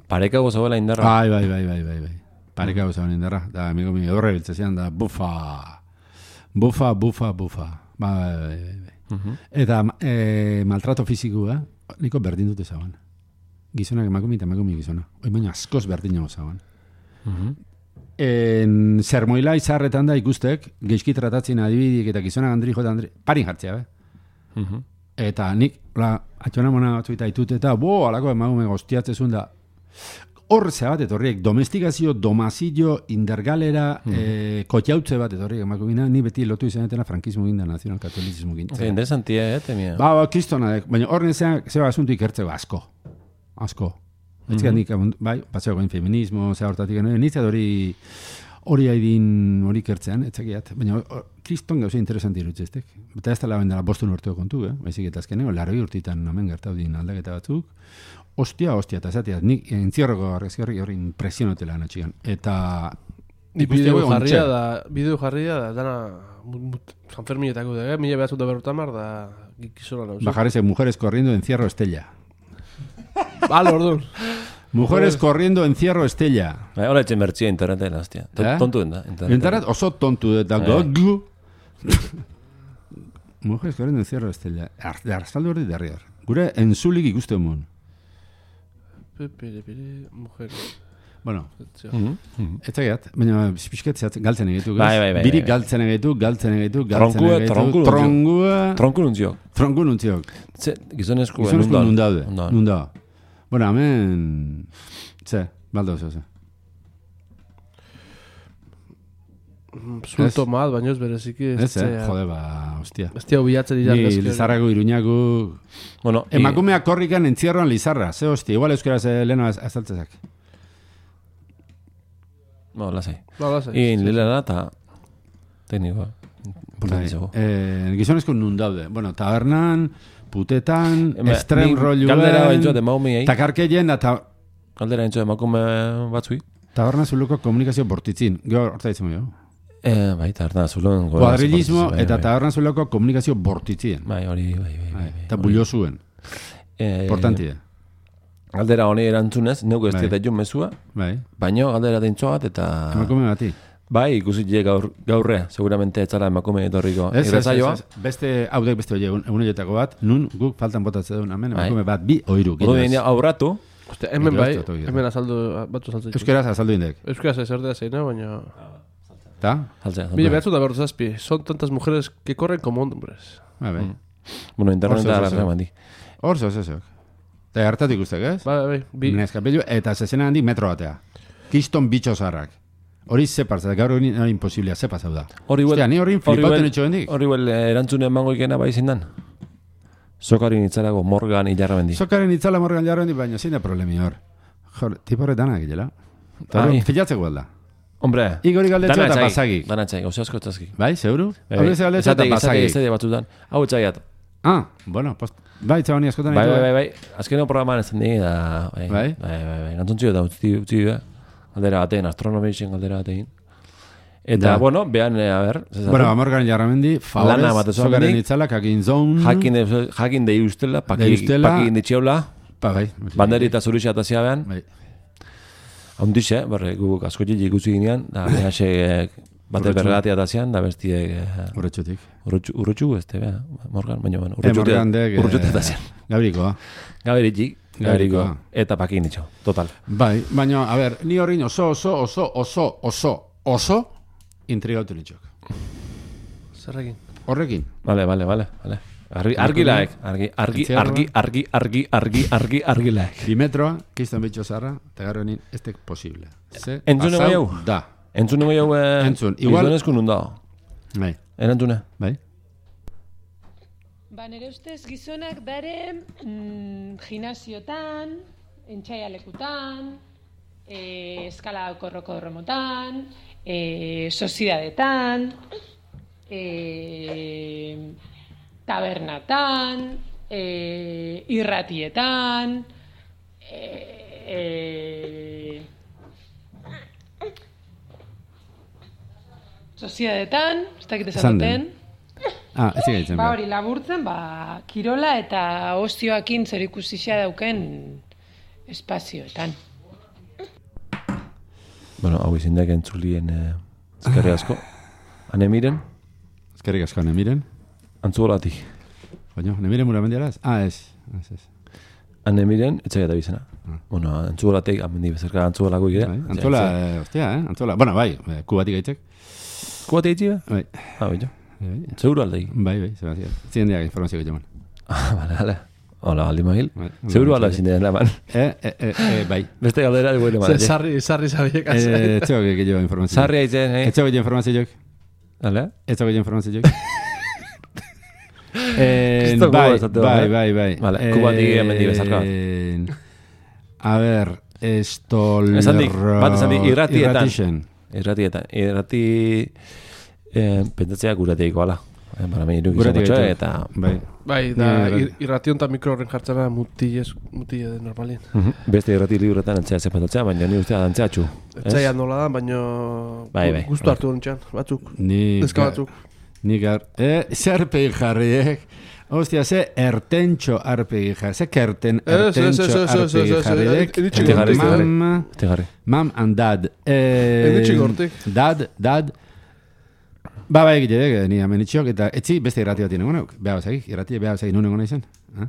pareka gozagoela indarra. Bai, bai, bai, bai, bai, bai. Pareka gozaban indarra. Da, amigo mi, horre biltzezian da, bufa. Bufa, bufa, bufa. Bai, bai, bai, bai, bai. Eta e, maltrato fizikua, niko berdin dute zaban. Gizonak emakume eta emakume gizona. Hoi baina askoz berdin nago zaban. En zermoila izarretan da ikustek, geizki tratatzen adibidik eta gizonak andri jota andri, parin jartzea, be? Eta nik, la, atxona mona batzuita itut eta, bo, alako emakume goztiatzezun da, hor ze bat etorriek, domestikazio, domazillo, indergalera, mm. e, kotxautze bat etorriek emakumina, ni beti lotu izanetena frankismo ginda, nazional-katolizismo ginda. Sí, interesantia, eh, temia. Ba, ba, kristona, baina hor nezean, zeba asuntu ikertzeko asko. Asko. Ez mm -hmm. nik, bai, paseo goin feminismo, zea hortatik, no? Nintzat hori, hori haidin, hori ikertzean, etzakiat. Baina, or, kriston gauza interesanti irutzeztek. Eta ez tala bendela bostun urteo kontu, eh? Baizik eta azkeneko, laroi urtitan hemen gertaudin aldaketa batzuk. Ostia, ostia, eta zateat, nik entzierroko argazki horri hori impresionotela anatxigan. Eta... Ni bideo jarria da, bideo jarria da, dana, San Ferminetako da, eh? Mila behatzut da berrotamar, da, gizona nauzu. Bajarese mujeres corriendo, encierro, Estella. Bale, orduan. Mujeres corriendo, encierro, Estella. Bai, hola etxen bertxia internetela, hostia. Eh? Tontu den da. Internet oso tontu eta Eh. goglu. Mujeres corriendo, encierro, Estella. Arzaldu hori derri hor. Gure entzulik ikuste mon. Pere, pere, mujeres. Bueno, Mhm. ez zagiat, baina pixket zehatzen galtzen egitu. ez? Bai, bai, bai, Birik bai. galtzen egitu, galtzen egitu, galtzen Tronkua, egitu. tronku Trongua. Tronku nuntziok. Tronku nuntziok. Ze, gizonezko Gizonezko nun daude. Nundan. Nun da. Bueno, hemen... Ze, baldo oso, ze. Zulto mal, baina ez bereziki. Ez, eh? Jode, ba, hostia. Ez tia bilatzen dira. Ni Lizarrago, Iruñago... Bueno, i- Emakumea korrikan entzierroan Lizarra. Ze hostia, igual euskaraz eh, leheno az- azaltzezak. Bueno, lasai. Ba, lasai. I lila da, eta teknikoa. Importantizago. Eh, gizonezko nun daude. Bueno, tabernan, putetan, Ema, estrem ni rolluen... Galdera baintxoat emaumeiei. Takarkeien eta Galdera baintxoat emakume batzui. taberna zuluko komunikazio bortitzin. Gero, horta ditzen jo. Eh, bai, tarda, zulon. Kuadrilismo bai, eta bai. taberna zuluko komunikazio bortitzien. Bai, hori, bai, bai, bai. bai. Eta bullo zuen. Eh, Importantia. Galdera honi erantzunez, neuko ez Bai. dieta jun mezua, Bai. baino galdera deintxoat eta... Emakume bati. Bai, ikusitxe gaur, gaurrea, seguramente etzala emakume etorriko Ez, ez, ez, irratsaioa. ez. Beste, haudek beste hori egun horietako bat, nun guk faltan botatzen duen, hemen Bai. emakume bat, bi oiru. Odo dira aurratu, Ostia, hemen Nik bai, ez dut ogi. hemen azaldu, batzu azaltzen. Euskeraz azaldu indek. Euskaraz ez erdea zeina, baina... Ta? saltzea. Mila behatzut da berroz zazpi. Son tantas mujeres que corren como hombres. Ba, bai. Bueno, interneta Oso, oso, arrazak oso. mandi. Hor zo, zo, zo. Eta hartatik ustek, ez? Bai, bai, bi. Neskapelu, eta zezena handik metro batea. Kiston bitxo zarrak. Hori ze parza, gaur hori nara imposiblea, ze pasau da. Hori huel, Ostia, ni hori flipauten etxo hendik. hori huel erantzune emango ikena bai zindan. Sokari nitzalago Morgan hilarra bendi. Sokaren itzala morgan jarro hendik, baina zein da problemi hor. Jor, tipo horretanak gila. Eta Ai. filatzeko alda. Hombre, Igori galdetxo eta basagik. Danatxai, gauza asko txazki. Bai, seguru? Bai, Hori ze galdetxo eta esate- esate- basagik. esate batzutan. Hau etxaiat, Ah, bueno, post... Bai, txabani askotan Bai, ditu, bai, bai, bai. Azkeneko programan ez zen da, bai, Bai? bai, bai, bai. Gantzontzio eta utzi, utzi, bai. Galdera batean, astronomizien galdera batean. Eta, Da. bueno, behan, a ber, zezaten. Bueno, amorgaren jarramendi, Lana favorez, batezu zogaren amendik. itzalak, hakin zon... Jakin, de- jakin dei ustela, paki, Dei ustela. paki inditxeula, Pa, bai. banderi eta zurixia eta ziabean. Bai. Haundixe, berre, guk asko jili ikusi ginean, da, behase bate Urretxu. berregatia eta zian, da bestiek... Horretxutik. Urrutxu, urrutxu, este, bea, Morgan, baina, bueno, Eh, Morgan dek... urrutxu eta zian. Gabrikoa. Gaberitxik, gaberiko, Gaberikoa. eta paki inditxo, total. Bai, baina, a ber, ni horrein oso, oso, oso, oso, oso, oso, intrigautu nitxok. Zerrekin. Horrekin. Vale, vale, vale, vale. Argi, argilaek, argi, argi, Etxearroa. argi, argi, argi, argi, argi, argilaek. Dimetroa, kistan bitxo zarra, eta gero nien, ez tek posible. Ze, Entzune pasau bai hau? Da. Entzune gai hau, eh, Entzun, igual- gizonezko nun da. Bai, Erantzune. bai. Ba, nire ustez gizonak dare mm, gimnasiotan, entxaialekutan, e, eskala korroko remotan, e, sozidadetan, e, tabernatan, e, irratietan, e, e, sozidadetan, ez dakit esan Esan den. duten. Ah, ez egiten Ba behar. hori, laburtzen, ba, kirola eta ostioakin zer ikusixea dauken espazioetan. Bueno, hau izindek entzulien eh, ezkerri asko. Hane miren, Ezkerrik asko, ne miren. antzugolatik. Baina, ne miren mura mendiaraz? Ah, ez. Ez, ez. Hane miren, etxai eta bizena. Ah. Bueno, antzugolatik, amendi bezerka antzugolako ire. Bai, Antzola, eh, ostia, eh? Antzola. Bueno, bai, eh, kubatik aitzek. Kuate itxi, be? Bai, Ah, bai, bai, Seguro aldeik. bai, bai, Sebastián. Zien diak informazio gehiagoan. Ah, bale, bale. Hola, aldi magil. Bai, Seguro bai, alda bai. ezin den eman. Eh, eh, eh, eh, bai. Beste galdera, dugu Ze, sarri, sarri zabiek Eh, ez zego gehiago informazio. Sarri aitzen, eh? Ez zego gehiago informazio jok. Dale? Ez zego gehiago informazio jok. Eh, Kristo bai, gogo esateko, bai, eh? bai, bai. Vale, kubatik hemendik bezarka bat. Eh, A ver, esto... Esan dik, bat esan dik, irratietan. Irratixen. Irratietan. Irrati... Eh, pentsatzea gurateiko, ala. Eh, bara meni iruk Guretik izan gaitu. eta... Bai. Bai, da, Ni- ir, irration eta mikroren jartzena mutilez, mutile de normalin. Mhm. Beste irrati libretan antzea zepatatzea, baina ni ustea antzea txu. Etxaia nola da, baino Bai, bai. guztu hartu nintxan, batzuk. Ni... Neska ga- batzuk. Ni gar... Eh, zerpegi jarriek. Ostia, ze ertentxo arpegi jarri. Ze kerten Ez, ez, ertentxo ez, ez, ez, arpegi ez, ez, jarriek. ez, ez, ez, ez, ez, Mam... Este jarri. Mam and dad. Eh, Enitxik hortik. Dad, dad. Ba, ba egite dek, ni hemen itxiok, eta etzi beste irrati bat inengo neuk. Beha bazagik, irrati beha bazagik nuen nahi zen. Ah?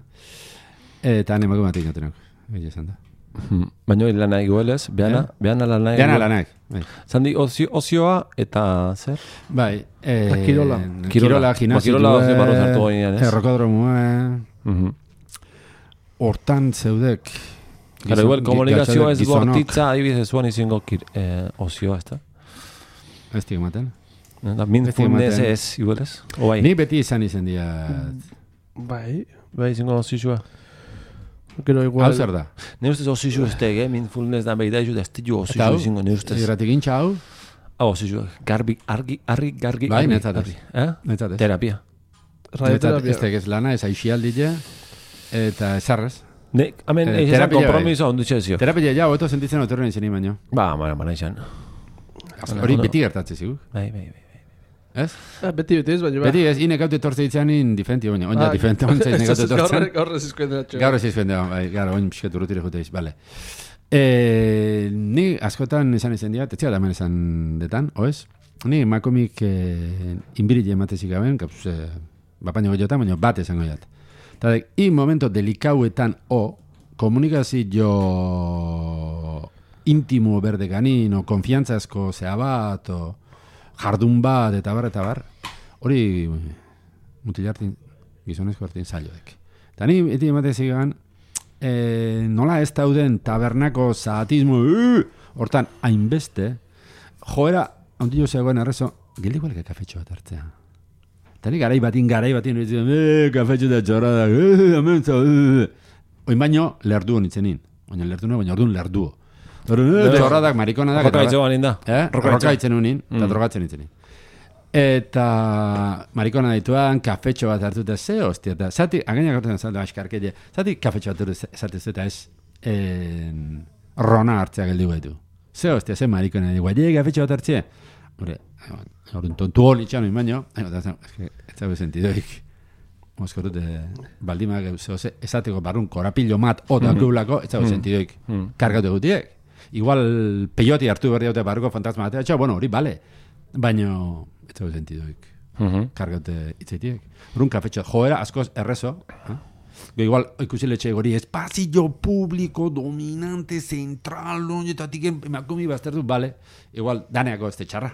Eta han emakume bat egin neuk. Egia esan da. Mhm. Baina hil lana iguelez, beana, Eh? beana lana Behan alanak. Bai. Zandi ozio, ozioa eta zer? Bai. Eh, Eta kirola. Kirola, Kirola. gimnasio. Ba, kirola ozio barru zartu gainean, ez? Errokodromua. Mhm. Hortan zeudek. Gara, igual, komunikazioa ez gizonok. bortitza, adibidez zuan izango kir, eh, ozioa, ez da? Ez dik ematen. Da, mindfulness ematen. ez, igualez? O bai? Ni beti izan izen dia. Bai, Bai, izango ozioa. gero Hau igual. zer da? Ne ustez ozioa ez tege, eh? Mindfulness da behi da, ez da jo Eta ozioa hau? izango, ne ustez. Irratik intxa hau? Hau ozioa, garbi, argi, argi, gargi, Bai, argi, netzat ez. argi. Eh? Netzat ez. Terapia. Netzat Radioterapia. ez tekez lana, ez aixialdile, eta esarrez. Ne, hemen, Eh, eh, terapia bai. kompromiso ondutxe ezio. Terapia ja, hobeto sentitzen otorren izan baino. Ba, mara, mara izan. Hori Ondo. beti gertatze zigu. Bai, bai, bai. Ez? Ah, beti, beti ez, baina ba. Beti ez, inek haute tortze ditzanin diferenti baina. Oina, diferenti ontzait nek haute tortzen. Gaur ez izkoen dira Gaur ez izuen da, bai, gaur, oin pixket urrutire jute iz, bale. E, ni askotan esan izan diat, etxea da hemen esan detan, oez? Ni makomik e, inbirille ematezik gaben, kapuz, e, bapaino goiotan, baina bat esango jat. Eta dek, i momento delikauetan o, komunikazio intimo berde ganin, o konfiantzazko zea bat, o jardun bat, eta bar, eta bar, hori mutilartin, gizonezko hartin zailodek. Eta ni, eti ematezik gaben, e, nola ez dauden tabernako zaatismo, uh, hortan, hainbeste, joera, ondillo zegoen arrezo, gildi gualeka kafetxo bat hartzea. Eta ni garai batin, garai batin, eh, kafetxo da txorrada, eh, amentza, eh. Oin baino, lerdu honitzenin. Oina lerdu no, baina orduan lerduo. Orduan, eh, txorradak, marikonadak, Roka itxo banin da. Eh? Roka Roka itxo. itzen unin, eta Mm. drogatzen itzenin. Eta marikona dituan, kafetxo bat hartuta ze, hostia, eta zati, againak hartuta zaldu askarkele, zati kafetxo bat hartuta eta ez en, rona hartzea geldi guetu. Ze, hostia, ze marikona ditu, guai, kafetxo bat hartzea. Hore, hori tontu hori txano imaino, ez zabe sentidoik. Moskorut, baldimak esateko barrun korapillo mat otak gulako, ez zabe sentidoik. Kargatu gutiek. Igual peyoti hartu berri haute barruko fantasma batea, txau, bueno, hori, bale. Baina, ez zabe sentidoik. Kargate itzaitiek. Horun kafetxo, joera, askoz errezo. Igual, ikusi letxe gori, espazio publiko, dominante, zentral, eta tiken, emakomi baztertu, bale. Igual, daneako ez txarra.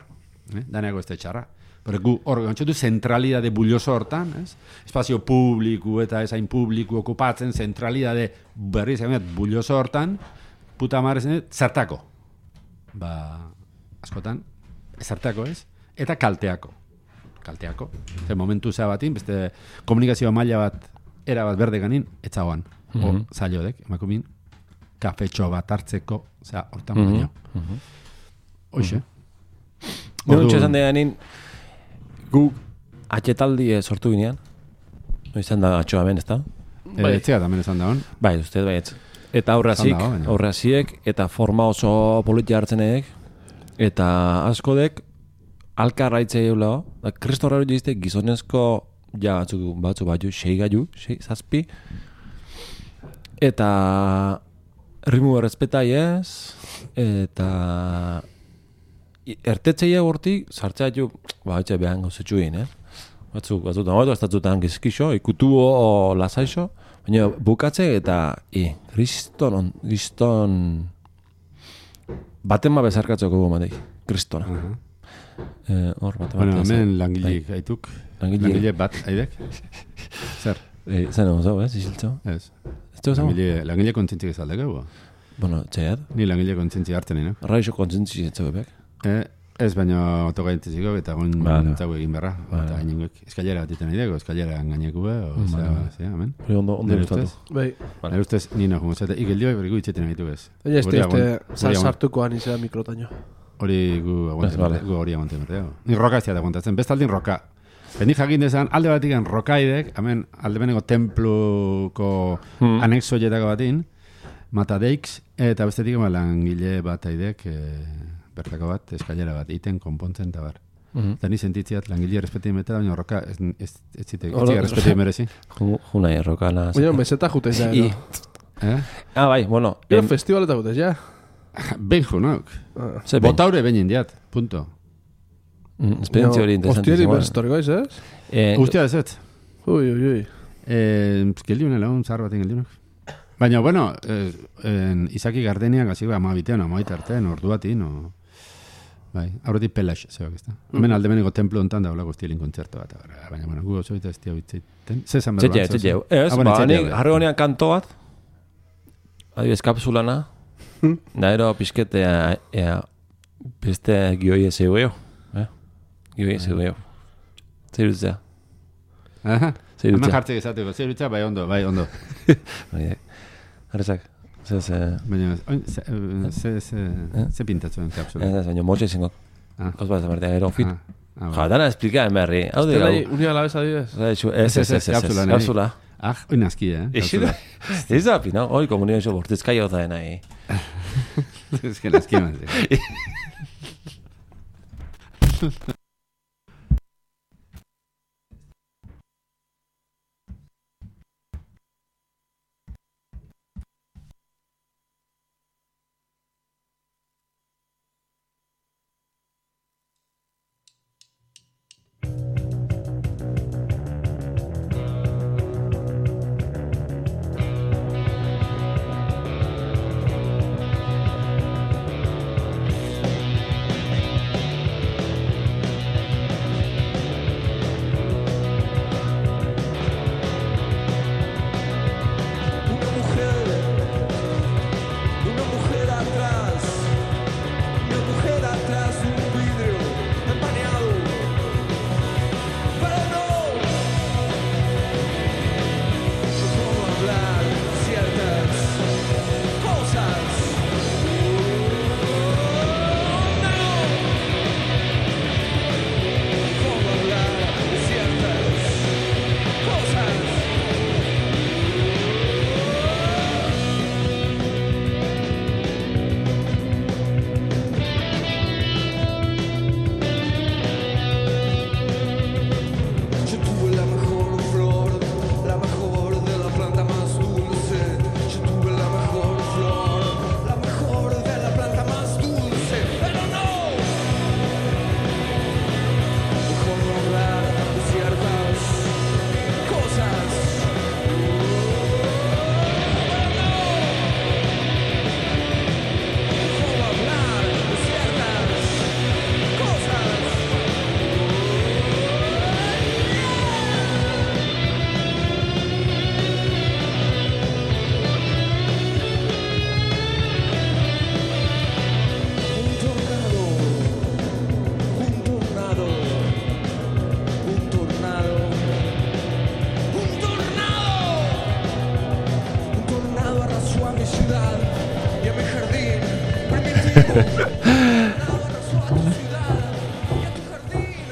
Eh? Daneako ez txarra. Pero gu, hor, gantxotu, zentralidade bulloso hortan, ez? Espazio publiku eta ezain publiku okupatzen, zentralidade berri zegoen, bulloso hortan, puta marrezen, zertako. Ba, askotan, zertako ez? Eta kalteako. Kalteako. Zer momentu zea batin, beste komunikazio maila bat, era bat berde ganin, etzagoan. Mm -hmm. O, zailodek, emakumin, kafetxo bat hartzeko, zera, hortan mm -hmm. baino. Mm -hmm. Hoxe. Gero txesan deganin, gu atxetaldi sortu ginean. Izan da atxoa ben, ez da? Bai, etzea tamen esan da hon. Bai, uste, bai, etz. Eta aurrazik, aurraziek, eta forma oso politia hartzenek, eta askodek, alkarraitzei eulao, da kristorraro jizte gizonezko ja batzu, batzu batu, sei gaiu, sei, zazpi, eta rimu errespetai ez, eta ertetzeia gortik, sartzea ju, ba, etxe behan gauzetxuin, eh? Batzu, batzu, da, ez datzutan gizkixo, ikutu o lasaixo, baina bukatze eta, e, kriston, kriston, baten ma bezarkatzeko gomatek, kristona. Uh -huh. Eh, hor bat bueno, hemen langileik aituk. Langile bat, aidek? Zer? Eh, zen egon zau, ez? Isiltzo? Ez. Ez teo zau? Langile, langile kontzintzik ez aldeko, bueno, txaiat? Ni langile kontzintzik hartzen nina. Raixo kontzintzik ez zau epek? Eh, ez baina otogaintziko eta gon vale. Zau egin berra. Vale. Eta hain eskailera bat iten aideko, eskailera engaineko be, o zera, zera, amen? Hori ondo, ondo gustatu. Bai. Nire ustez, nina jumuzete, ikeldio berriku itxeten aitu ez. Baina ez te sartukoan izan mikrotaino. Hori gu aguanten, gu hori aguanten berdeago. Ni roka ez da aguantatzen, bestaldin roka. Benik jakin dezan, alde batikan rokaidek, hemen alde beneko templuko hmm. anexoietako batin, matadeix, eta bestetik langile bat aidek, e, bertako bat, eskailera bat, iten, konpontzen, eta bar. Mm-hmm. Eta ni sentitziat langile respeti metela, baina roka ez, ez, ez zitek, ez zitek respeti merezi. Juna, roka na... Baina, meseta jutez ja, no? Eh? Ah, bai, bueno. Pero festivaleta jutez ja. Ben junok. Ah. Botaure ben indiat, punto. Mm, esperientzia hori interesantísima. Hostiari berstoriko ez, ez? Eh, Ustia ez ez. Ui, ui, ui. Eh, geldiunela, un zahar baten geldiunok. Baina, bueno, eh, en, Izaki Gardeniak aziko amabitean, amaita artean, ordu batin, o... Bai, aurretik pelax, zebak ez da. Mm. Hemen alde beneko templo ontan da, olako estilin kontzertu bat. Baina, bueno, gu oso eta ez tia bitzeiten. Zezan berbat. Zetxe, zetxe. Ez, ba, nik harri honean kanto bat, adibes kapsulana, naero pizketea, ea, beste gioi ez egueo. Eh? Gioi ez egueo. Zer dutzea. Aha. Hemen jartzek ezateko, zer dutzea, bai ondo, bai ondo. Harrezak. Ze, ze... Baina, ze, ze, ze pintatzen kapsula? Ez, baina motxe izango. Kauz bat zamartea, gero fit. Ja, dana esplika en berri. Hau de gau. Unia la beza adibidez? Ez, ez, ez, ez, kapsula. Ah, hoi nazki, eh? Kapsula. Ez da, pina, hoi komunio bortezkai hau da nahi. Ez que nazki mazte.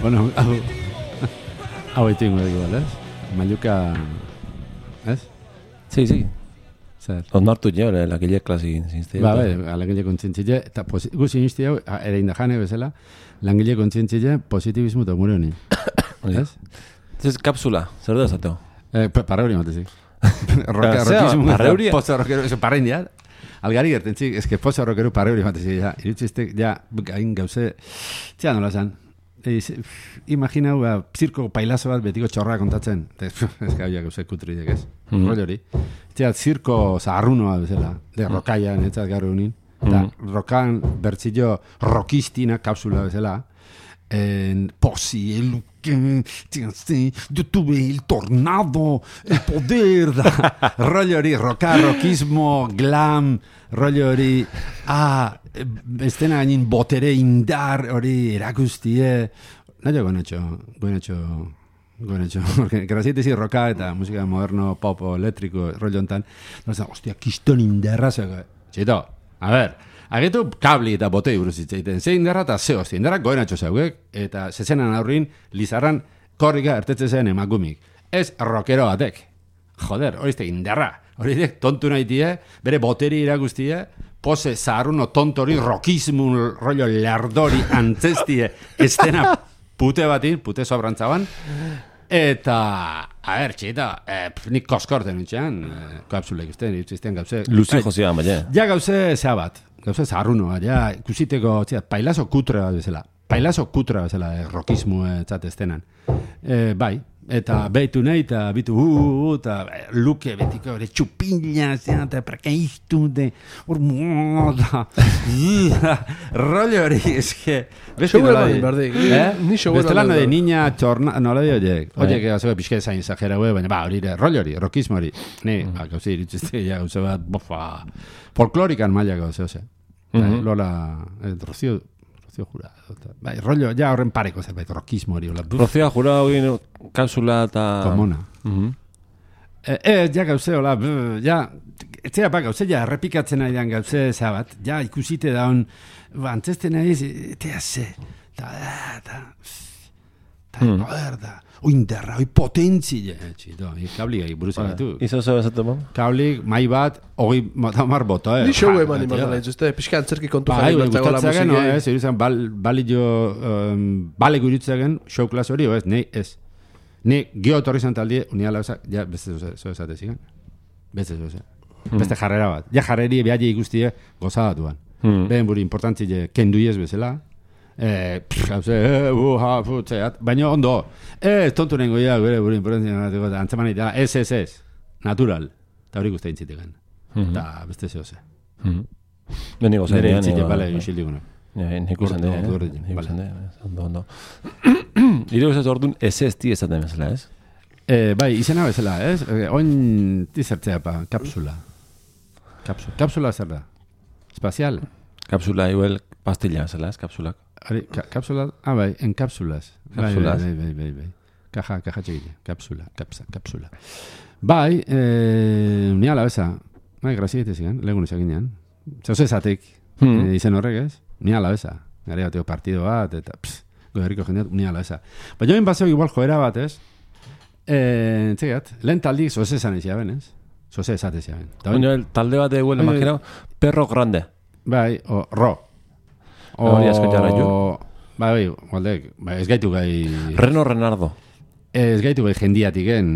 Bueno, hau... Hau eitu ingo dugu, ez? Mailuka... Ez? Sí, sí. Zer? Onartu jo, lakile klasi zinzte. Ba, bai, langile kontzientzile, eta gu zinizti hau, ere indajane bezala, langile kontzientzile positibismo eta umore honi. Ez? Ez kapsula, zer da zateo? Eh, parra hori matezik. Rockismo, pozo rockero, eso parra india. Algari gertentzik, ez que pozo rockero parra hori matezik, ja, irutxiztek, ja, hain gauze, txea nola zan. Eiz, imagina, ba, zirko pailazo bat betiko txorra kontatzen. Ez que hau gauze kutri dek ez. Mm. Rollo hori. Txea, zirko zaharrunoa bezala, de rokaia, netzat gaur unin. Eta mm. rokan bertzillo rokistina kapsula bezala. En posi, el yo tuve el tornado, el poder da. Rollo hori, roka, rockismo, glam, rollo hori, ah, estena gainin botere indar hori erakustie. Naio goenetxo, goenetxo, goenetxo. Porque graziete si roka eta musika moderno, pop, eléctrico, rollo ontan. No, hostia, kiston indarra zego. Txito, a ver, agetu kabli eta botei buruz itzaiten. Ze indarra eta ze hostia, indarra goenetxo zeuek. Eta zezenan aurrin, lizarran korrika ertetze zen emakumik. Ez rockero batek. Joder, horizte indarra. Horizte tontu nahitie, bere boteri irakustie, pose zaharruno tontori, rockismo, rollo lardori, antzestie, estena pute batin, pute sobrantzaban. Eta, a ber, txita, eh, nik koskorten nintxean, eh, kapsulek usten, irtzizten gauze. Luzi jozea, baina. Ja gauze zea bat, gauze zaharrunoa, ja, ikusiteko, txita, pailazo kutre bat bezala. Pailazo kutra bezala, eh, rockismo etzatestenan. Eh, bai, eta behitu nahi, eta bitu, uh, eta uh, luke betiko, ere txupila, eta perkaiztu, de, hor moda, rollo hori, eske, besti nola di. Bestelano de niña txorna, nola di horiek. Horiek, gazoa, pixke zain exagera, baina, ba, hori, rollo hori, rockismo hori. Ne, ba, gauzi, iritzizte, ja, gauze bat, bofa, folklorikan maila gauze, ose. Lola, Rocío, Rocío Jurado. Bai, rollo, ja horren pareko zerbait, rockismo hori. Rocío Jurado egin kapsula eta... Komuna. Eh, eh, ja gauze, hola, ja, etzea pa gauze, ja, errepikatzen nahi dan gauze zabat, ja, ikusite daun, ba, antzesten nahi, etea ze, ta, ta, ta, poder da, oinderra, oi potentzi, txito, kabli gai buruz egatu. Izo zeu esatu, ma? Kabli, mai bat, hori, matamar bota, eh? Ni show eman iman dara izuzte, pixka antzerki kontu jari bertzago la musika. No, ez, iruzan, bali jo, bale guritzagen, show class hori, ez, nei, ez. Ni gio torri zantaldie, unia lauzak, ja, beste zo esate zigan. Beste zo esate. Beste jarrera bat. Ja jarreri behaile ikustie gozadatuan. Behen buri importantzi kenduiez bezala. Eh, hauze, eh, uh, ha, fu, txeat. Baina ondo, eh, tontu nengo ya, bere buri importantzi antzeman egitea, ez, ez, ez, natural. Eta hori guztain ziteken. Eta beste zo ze. Beni gozan dira. Nere entzite, bale, inxildigunak. Nik usan dira, nik usan dira. Ondo, ondo. Iro ez ordun ez ez ti ezaten bezala, ez? Eh, bai, izena bezala, ez? Oin tizertzea pa, kapsula. Kapsula. Kapsula zer da? Espazial? Kapsula, igual, pastilla bezala, ez? Kapsulak. Ari, ka, kapsula, ah, bai, en kapsulas. Kapsulas. Bai, bai, bai, bai. Kaja, kaja txegile. Kapsula, kapsa, kapsula. Bai, eh, unia la beza. Bai, graziete zigan, legun izakinean. Zauze zatik, hmm. e, izen horrek, ez? Unia la beza. Gari bateo partido bat, eta, pss, goderriko jendeat, unia la beza. Baina joen baseo igual joera bat, ez? Eh, txegat, lehen taldi zoze esan izia ben, ez? Zoze esate izia ben. Baina talde bat eguel imaginau, perro grande. Bai, o, ro. O, hori asko jarra jo. Bai, bai, gualdek, bai, ez gaitu gai... Reno Renardo. Ez gaitu gai jendiatiken,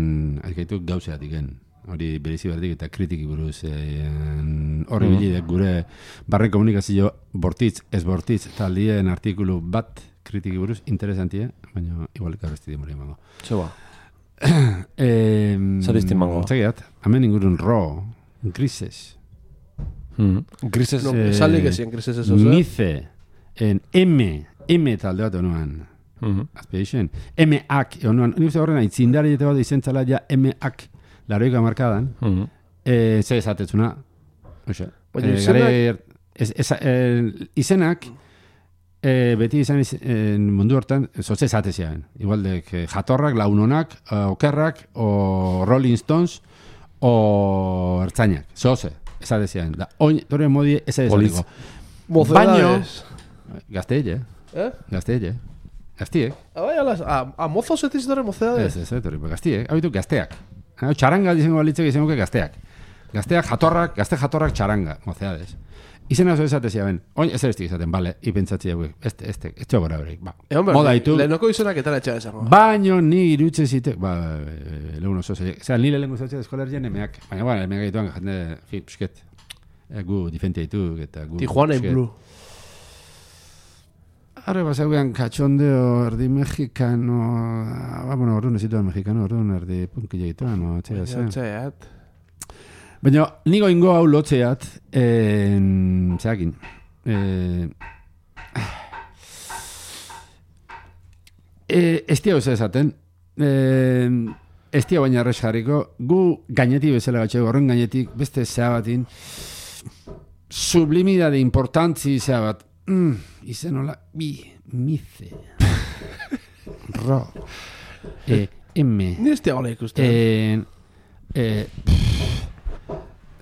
ez gaitu gauzeatiken. Hori berizi berdik eta kritiki buruz. Horri mm. bilidek gure barren komunikazio bortitz, ez bortitz, taldien artikulu bat kritiki buruz, interesantie, baina igual karresti di moria mango. Txoba. eh, Zaristi mango. Txegiat, hamen ingurun ro, grises. Mm. Grises... No, eh, salik ezien grises eso, Mice, en M, M talde bat honuan. Mm-hmm. Aspiration. M-ak, honuan, nire horren aitzindari eta bat izentzala ja M-ak. Laroika markadan, mm-hmm. eh, ze esatetzuna. Oxe. Eh, gare, ez, ez, eh, izenak, eh, beti izan iz, eh, mundu hortan, zoze esateziaen. Igualdek, eh, jatorrak, launonak, eh, okerrak, o Rolling Stones, o ertzainak. Zoze. esate zian. Da, oin, torre modi, ez ez Poliz. Baino, gazteile, Eh? gazteile, gaztiek. Ah, bai, alas, a, a mozos ez dizitore mozedades. Ez, ez, torre, gaztiek, hau ditu gazteak. Hau, txaranga dizengo balitzek izango gazteak. Gazteak jatorrak, gazte jatorrak txaranga, mozedades. Izen oso esate ziaben, oin ez erestik izaten, bale, ipentzatzi hauek, ez, ez, ez txogora horiek, ba. Egon behar, Moda ditu. lehenoko izenak eta etxea esango. Baino ni irutze zite, ba, lehun oso zaiek. Zera, ni lehenko zautzea eskolerien emeak. Baina, bueno, emeak egituan, jende, fi, psket, gu difentia ditu, eta gu... Tijuana in Blue. Arre, basaugean, katxondeo, erdi mexikano, ba, bueno, orduan ez zituan mexikano, orduan erdi punkile dituan, no, txea zen. Txeat. Baina, nigo ingo hau lotzeat, en, zeakin, eh, eh, ez tia oso esaten, eh, ez tia baina arrez jarriko, gu gainetik bezala gatxego, horren gainetik beste zea batin, sublimidade importantzi zea bat, mm, izen hola, bi, mize, ro, eh, M, Ni ez tia gola ikusten. eh, eh,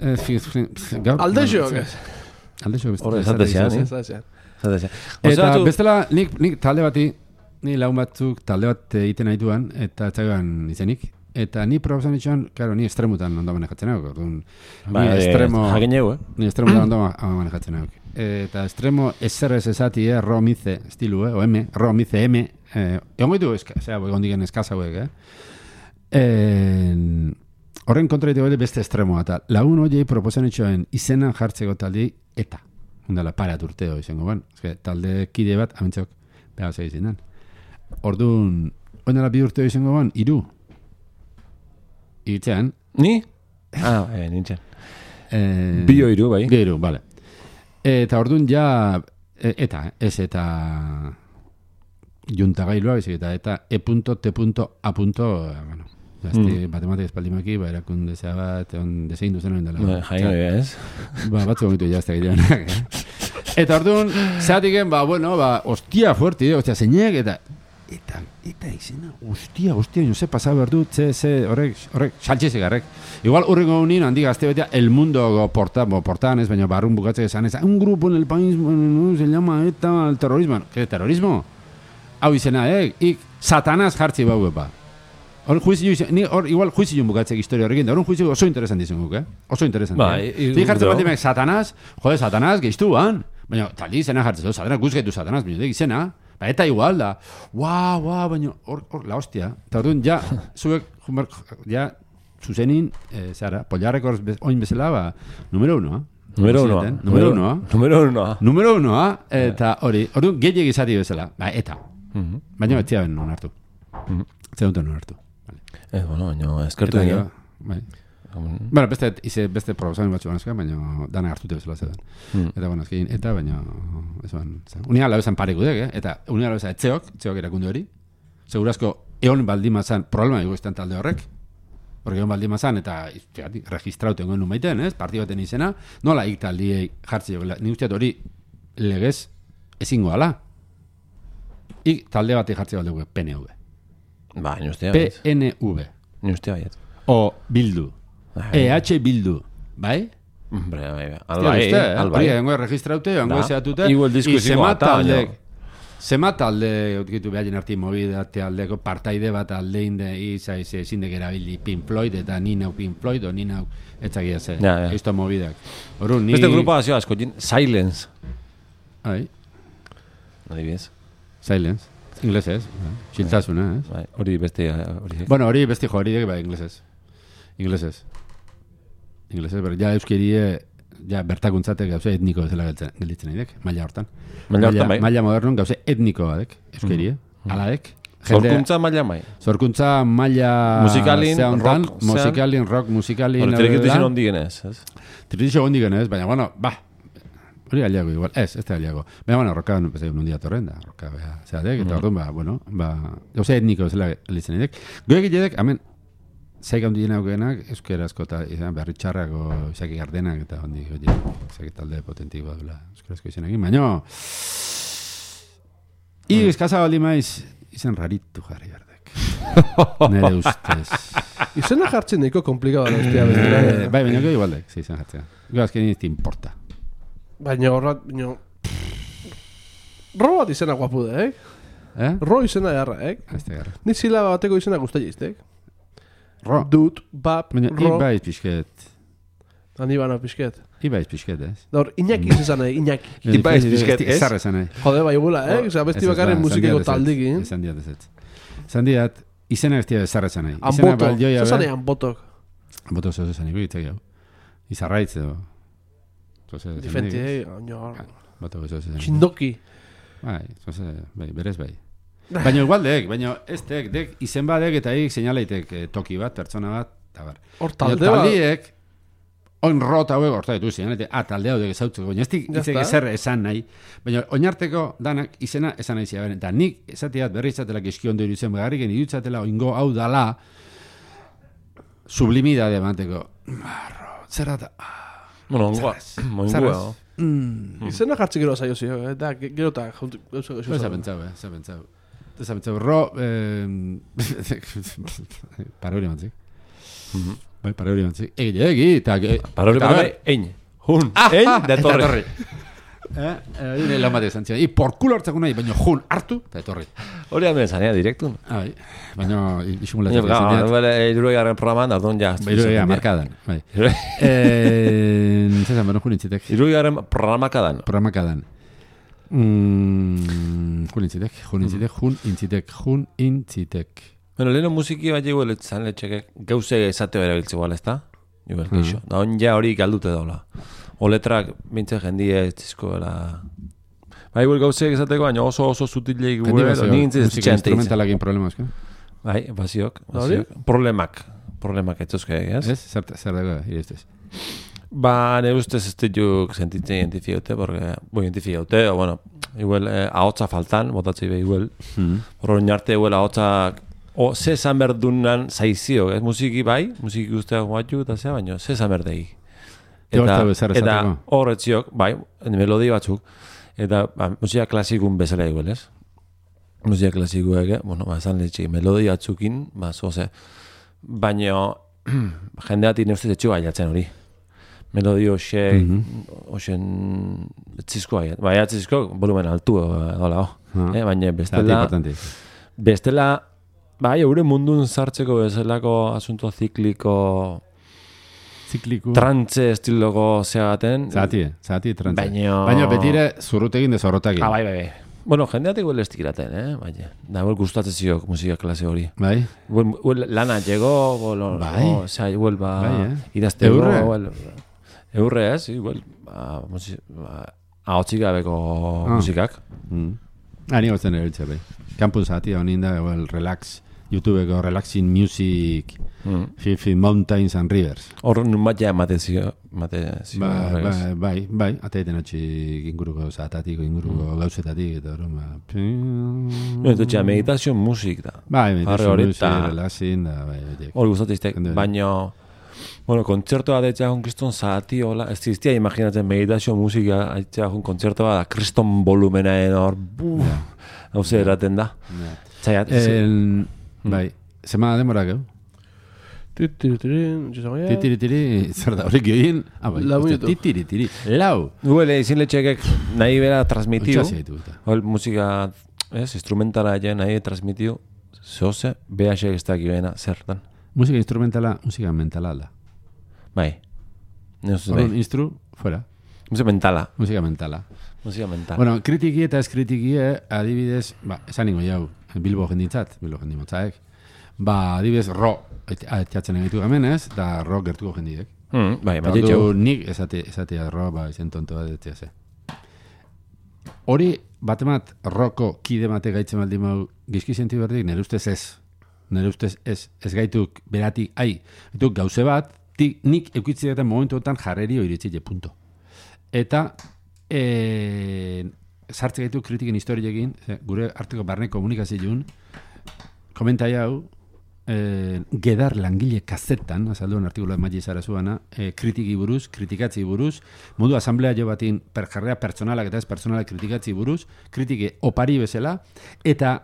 Eh, fi, fi, gaur... Alde joak ez. Alde joak. Hor, esate zian, Ez eh? da zean. Esate zian. Eta Osea, tu- bestela, nik, nik talde bati, ni laun batzuk talde bat egiten naituan, eta txagoan izenik. Eta ni proposan itxuan, claro, ni estremutan ondo manejatzen hau. Orduan, Ba, ni eh, estremo... jakin jau, eh? Ni estremutan ondo ma- manejatzen hau. Eta estremo eserrez esati, eh, ro mize estilu, eh, o M, ro mize M, eh, egon gaitu, eska, zera, egon diken eskaz hauek, eh? Eh, Horren kontra ditu beste estremoa, eta lagun horiei proposan itxoen izena jartzeko taldi eta. Hundala, parat urteo izango, ban. Ezke, talde kide bat, amintzok, behar zei izinan. Orduan, oinala bi urteo izango, ban, iru. Itzean. Ni? Ah, eh, nintzen. Eh, Bio iru, bai. Bi iru, bale. Eta orduan ja, e, eta, ez eta juntagailua, bizik, eta eta e punto, t punto, a punto, eh, bueno, Gazti, matematik espaldimaki, ba, erakunde zea bat, on desein duzen hori dela. Jaino, ez? Ba, batzu gomitu jazte gileanak, eh? Eta orduan, zehatiken, ba, bueno, ba, ostia fuerte, eh? Ostia, zeinek, eta, eta, eta izena, ostia, ostia, no se pasa berdu, ze, ze, horrek, horrek, saltxezik garrek. Igual, urrengo unien, handi gazte betea, el mundo porta, bo, portan, ez, baina barrun bukatzek esan, ez, un grupo en el país, bueno, se llama eta el terrorismo. ¿Qué terrorismo? Hau izena, eh? Ik, satanaz jartzi bau epa. Hor juizio, ni hor igual juizio bukatzek historia horrekin, da hor juizio oso interesanti izan guk, eh? Oso interesanti. Ba, eh? i- Zik jartzen do. bat dimek, satanaz, jode, satanaz, geiztuan. Baina, taldi izena jartzen du, satanaz, guzgetu satanaz, baina, izena, ba, eta igual da. Ua, ua, baina, hor, hor, la hostia. Eta orduan, ja, zuek, jumar, ja, zuzenin, eh, zara, Pollarrekor oin bezala, ba, numero uno, eh? Numero unoa. Numero unoa. Numero unoa. Numero unoa, eta hori, orduan, gehiagik izati bezala, ba, eta. Mhm. Baina, ez ziaben non hartu. Mhm. Ez duten non hartu. Eh, bueno, baina eskertu Eta dira. gero, bai. Bueno, beste, ize, beste proposamen batzu banazka, baina dana hartute bezala zedan. Mm. Eta, bueno, azkein, eta, baina, esan, unia lau esan pareko dek, eh? Eta unia lau esan etzeok, etzeok erakunde hori. Segurazko, egon baldimazan, problema dugu izan talde horrek. Porque egon baldimazan, eta, fíjate, registrauten goen nun baiten, ez? Parti baten izena, nola ik taldiei jartzi jokela. Ni usteat hori legez ezingo ala. Ik talde batek jartzi baldugu, P N V. Ba, ni ustea, P baiet. N V. Ni ustea, baiet. O Bildu. Bai. E H Bildu. Bai? Hombre, bai, bai. Hostia, Albai, uste, eh? albai. Hori, hengo registraute, hengo Da. ezeatute. Igual diskusio Zema bat, talde, baina- zema talde, utkitu behaien arti movida, aldeko partaide bat aldein de, izai, ze, zindek erabili Pink Floyd, eta ni nau Pink Floyd, o ni nau, etzakia ze, Ja, ja. esto movidak. Orrun, ni... Beste grupa hazio asko, jin- Silence. Ai, Adibidez. silence. Inglesez, bai. Xiltasuna, ez? Bai, hori beste hori. Bueno, hori besti jo, hori dek, bai, inglesez. Inglesez. Inglesez, ber, ja euskerie, ja bertakuntzatek gauze etniko bezala geltzen- gelditzen nahi dek, maila hortan. Maila hortan, bai. Maila modernon gauze etniko badek, euskerie, ala dek. Jende- Zorkuntza maila mai. Zorkuntza maila Musikalin, zea hontan, rock, zean. musikalin, rock, musikalin... Hori trekitu izan hondi genez, ez? Tritixo gondi genez, baina, bueno, ba, hori aliago igual, ez, ez da aliago. Baina, bueno, roka nun dia torren da, roka beha, zeatek, eta orduan, ba, bueno, ba, gauza etniko zela elitzen edek. Goek egidek, hemen, zaik handi jena aukenak, euskerazko eta izan, berri txarrako izaki gardenak, eta handi, goie, izaki talde potentik badula, euskerazko izenak, baina, i, eskaza baldi maiz, izan raritu jarri berdek. Nere ustez. Izena jartzen daiko komplikado da, hostia. Eh, bai, baina goi igualdek, sí, izan jartzea. Goi azken ez importa. Baina horrat, baina... Ro bat izena guapu da, eh? Eh? Ro izena jarra, eh? Ez da garra. Ni zilaba bateko izena guztai iztek. Ro. Dut, bap, Baina ro. ibaiz pixket. Ani bana pixket. Ibaiz pixket, ez? Da hor, Iñaki izan nahi, Iñaki. Ibaiz pixket, ez? Zarra esan nahi. Jode, bai gula, eh? Osa, besti bakarren musikeko taldikin. Esan diat ez ez. Esan diat, izena ez diat zarra esan nahi. Izena Amboto, balioia zazan be. nahi ambotok. Amboto zeu esan nahi, itzak jau. Izarraitz edo. Zoze, Difenti, eh? Oño, Bato zeu esan nahi. txindoki. Bai, zoze, bai, berez bai. Baina igualdek, baina ez tek, dek, izen badek eta hik seinaleitek eh, toki bat, pertsona bat, eta bar. Hor Baina talde bat. taldiek, oin rota hauek horta ditu seinalete, ah, talde hau dek ezautzeko, baina ez dik Ya itzek está. ezer esan nahi, baina oinarteko danak izena esan nahi ziren, eta nik esatiat berri izatela gizkiondo iruditzen begarriken iruditzatela oingo hau dala sublimidade emateko. Arro, zer da, ah, Bueno, ongoa. Ongoa. mm, Izena jartzi gero zaio zio, eta gero eta gauza gauza ez ha pentsau, eh, ez ha pentsau. Ez ha pentsau, ro, eh, parori mantzik. Bai, parori mantzik. Egi, egi, eta... Parori eta- bat, ein. Hun, ein, de torre. Eh, eh, lan bat esan zian. I, por culo hartzako nahi, baina jun hartu, eta etorri. Hori hemen zanea, direktun. Ah, bai, baina Baina, isimulatzen claro, bere, iruroi garren programan, da don ja. Bairoia, markadan, bai. Eh, Zezan, bano jun intzitek. Iruroi garren programakadan. Programakadan. Mm, jun intzitek, jun intzitek, jun intzitek, jun intzitek. Bueno, leheno musiki bat jiguel etzan letxekek gauze esateo erabiltze igual, ez da? Igual, geixo. Da on ja hori galdute daula. O letrak bintze jendie ez dizkoela... Ba, igual gauze esateko, baina oso oso zutileik Jendi gure, bazio, ni gintzen ez musika txante izan. instrumentalakin problemaz, que? Bai, baziok, Hori? baziok. Problemak, problemak etzuzke, ez? Ez? Zer, zer dago, ireztez. Ba, nire ustez ez dituk sentitzen identifiaute, porque, bo, identifiaute, o, bueno, igual, eh, ahotsa faltan, botatzei be, igual. Mm. Horro arte, igual, ahotsa, o, ze esan berdunan zaizio, ez? Musiki bai, musiki guztiak guatxu, eta zea, baino, ze esan berdegi. Eta, Eta, eta eta horretziok, bai, melodi batzuk, eta, ba, musika klasikun bezala igual, ez? Musika klasikuek, eh? Bueno, ba, esan letxik, melodi batzukin, ba, zoze, baino, jendeatik ne ustez etxu baiatzen hori. Melodi hoxe, hoxen, etzizko baiat, bai, etzizko, volumen altu, dola, Ah. eh? Baina Zati bestela, importante. bestela, bai, eure mundun sartzeko bezalako asunto zikliko, Zikliku. trantze estiloko zeagaten. Zati, zati trantze. Baina- Baina betire zurrutegin dezorrotakin. Ah, bai, bai, bai. Bueno, jendeatik huel estikiraten, eh? Baina, da, huel gustatzen ziok musika klase hori. Bai? Huel, huel lana llegó, huel, Bai. o sea, huel ba, Bai, eh? idazteko, Eurre? huel, eurre, ez, huel, ba, musi, ba, ahotzik gabeko Ah. musikak. Mm. Ani gozten erabiltzea bai. Campus zati honin da, well, relax, YouTubeko relaxing music, Mm. Fifi Mountains and Rivers. Hor nun bat ja emate zio, emate zio. Bai, horregaz. bai, bai, bai, ateiten atxi inguruko zatatiko, inguruko gauzetatik, eta hori, ba... No, ez dutxea, meditazio musik da. Bai, Harri meditazio hori music, eta- relaxing, da, bai, bai, Hor gustatzen iztek, Jende- baina, bueno, kontzertoa deitzea jun kriston zati, hola, ez diztia imaginatzen meditazio musika deitzea jun kontzertoa da, kriston volumenaen hor, buf, hau ze eraten da. Ja. Zaiat, El, bai, zema demora geu? Titiririn, jizagoia. Titiritiri, zer da, horrek join? Ah, bai, Lau hostia, minutu. titiritiri, lau. Guele, izin letxekek nahi bera transmitiu, Otsa zeitu eta. hol musika, ez, instrumentala ja nahi transmitiu, zehose, behasek ez daki bena, zertan. Musika instrumentala, musika mentala da. Bai. Ne ustez Orduan, bai. instru, fuera. Musika mentala. Musika mentala. Musika mentala. Bueno, kritiki eta ez kritiki, adibidez, ba, esan ningo jau, Bilbo jendintzat, Bilbo jendimotzaek, ba, adibidez, ro, etxatzen egitu gamen ez, da ro gertuko jendidek. Mm, bai, Eta bai, ordu etxeu. nik esate, esatea ro, ba, izen tonto bat etzea ze. Hori, batemat, roko kide mate gaitzen baldin mau, gizki senti berdik, nire ustez ez. Nire ustez ez, ez gaituk beratik, ai, gaituk gauze bat, ti, nik eukitzi eta momentuetan jarreri oiritzile, punto. Eta, e, sartze gaitu kritiken historiekin, ze, gure arteko barne komunikazioen, komentai hau, e, gedar langile kazetan, azalduen artikuloa maile zara zuana, e, kritiki buruz, kritikatzi buruz, modu asamblea jo batin perjarrea pertsonalak eta ez pertsonalak kritikatzi buruz, kritike opari bezala, eta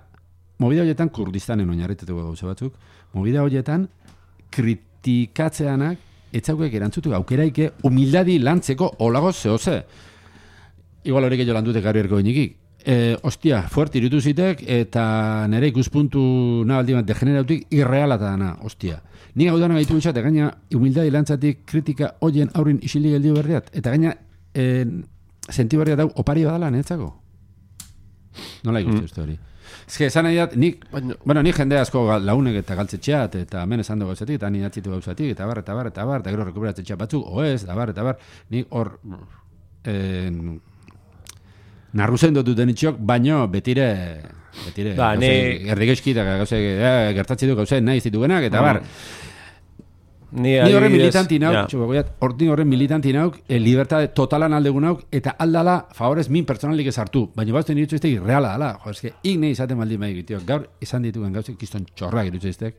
movida horietan Kurdistanen oinarrituko gauza batzuk, movida horietan kritikatzeanak etzaukek erantzutu aukeraike humildadi lantzeko olago zehoze. Igual hori gehiago landute garri erko inikik. E, ostia, fuerte irutu zitek eta nire ikuspuntu nabaldi bat degenerautik irrealata dana, ostia. Ni hau dana gaitu bitxat, gaina humildadi lantzatik kritika hoien aurrin isilik geldio berriat. Eta gaina e, sentibarria dau opari badala netzako. Nola ikustu uste hori. Ez que esan nahi dat, nik, bueno, nik jende asko launek eta galtzetxeat, eta hemen esan dugu gauzatik, eta ni atzitu gauzatik, eta bar, eta bar, eta bar, eta gero rekuperatzetxeat batzuk, oez, eta bar, eta bar, nik hor eh, narruzen dututen itxok, baino betire, betire, ba, gauze, ni... erdigeizki, eta gauze, eh, gertatzi du gauze nahi zitugenak, eta bar, Ni, ni horren adibidez, militanti nauk, ja. txuko goiat, hortin horren militanti nauk, e, libertade totalan aldegun nauk, eta aldala, favorez, min pertsonalik ez hartu. Baina bazten iritzu iztek irreala dala. Jo, eske, ik nahi izaten baldin bai egitio. Gaur, izan ditugen gauzek, kiston txorrak iritzu iztek.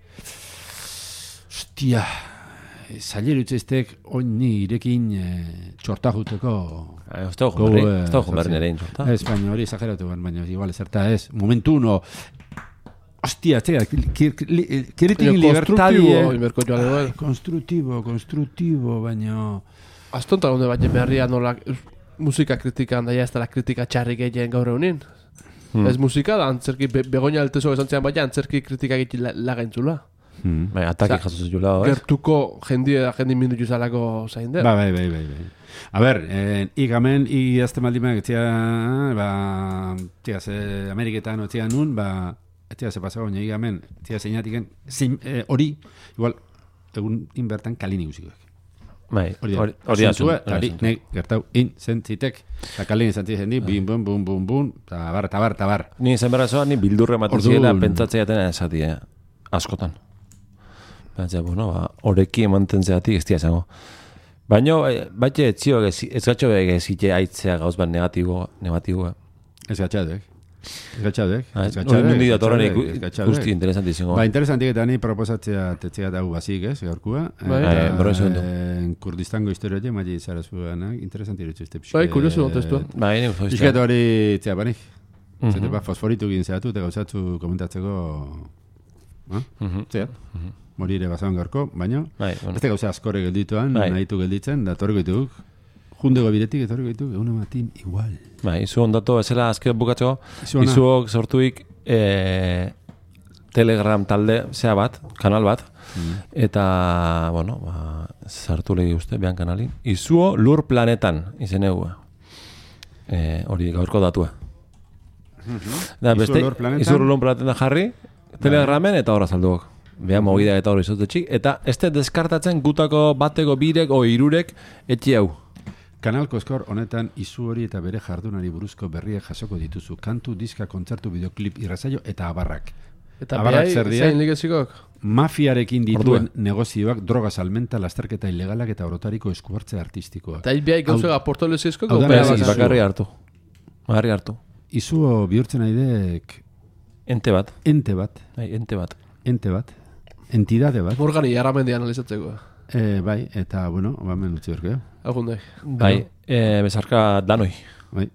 Ostia, zaila iritzu iztek, oin ni irekin e, txorta juteko... Ez da hojun berri nerein txorta. Ez, baina hori exageratu ben, baina igual ezerta ez. Momentu uno... Hostia, txega, kiritin libertadia... Konstruktibo, konstruktibo, baina... Aztonta gonde baina berria nola musika kritikan daia ez dela kritika txarrik egin gaur egunin. Hmm. Ez musika da, antzerki, be, begonia altezo esan zean baina antzerki kritika egin lagaintzula. Hmm. Bai, ataki jaso zuzula, ez? Gertuko jendie da jendi minutu zalako zain der. Ba, bai, bai, bai, bai. A ber, eh, igamen, igazte maldimak, etzia, ba, txia, ze, Ameriketan, etzia nun, ba... Etia se pasaba baina igamen, etia zeinatiken, hori, eh, igual, egun inbertan kalini guzikoek. Bai, hori da zuen. Hori, nek, gertau, in, zentzitek, eta kalini zentzitzen di, bim, bum, bum, bum, bum, tabar, tabar, tabar. Ni zen berra zoa, ni bildurre ematen ziela, pentsatzea jatena esati, eh, askotan. Pentsatzea, bueno, ba, horeki emanten zeatik, ez tia zango. Baina, baite, etzio, ez gatxo egezite aitzea gauz bat negatibo, negatibo. Ez gatxadek. Ez gatxadek. Ez gatxadek. Nundi da torren ikusti interesantizingo. Ba, interesantik eta ni proposatzea tetzea dago bazik, ez, gaurkua. Bai, berro esan du. Kurdistango historia je, maile izara zuenak, interesanti dutzu izte pixke. Bai, kuriosu kontestua. Bai, nik uste. Pixket hori, txea, banik. Zete, ba, fosforitu egin zehatu, eta gauzatzu komentatzeko... Zea, morire bazaban gaurko, baina... Ez gauza askore geldituan, nahitu gelditzen, da torriko dituk. Jundego biretik, etorriko ditu, egun ematin igual. Ba, izu ondatu, ezela azkera bukatzeko, izuok sortuik e, Telegram talde, zea bat, kanal bat, mm. eta, bueno, ba, sartu legi uste, behan kanalin. Izuo Lur Planetan, izen egu. E, hori gaurko datua. Mm-hmm. Da, beste, Izu Lur Planetan jarri, Telegramen eta horra salduok. Beha mogida eta hori izotetxik. Eta ez te deskartatzen gutako bateko birek o irurek etxe hau. Kanal Koskor honetan izu hori eta bere jardunari buruzko berriak jasoko dituzu. Kantu, diska, kontzertu, videoklip, irrazaio eta abarrak. Eta abarrak zer dira? Zein ligezikok? Mafiarekin dituen Ordua. Negozioak, droga salmenta, lasterketa ilegalak eta orotariko eskuhartze artistikoa. Eta hilbiai gauzega aportolezizko? Bakarri hartu. Bakarri hartu. Izuo bihurtzen aidek... Ente bat. Ente bat. Ai, ente bat. Ente bat. Entidade bat. Morgani jarramendi analizatzeko. E, bai, eta, bueno, bamen utzi horkeo. Agundai. Bai, e, bezarka danoi. Bai.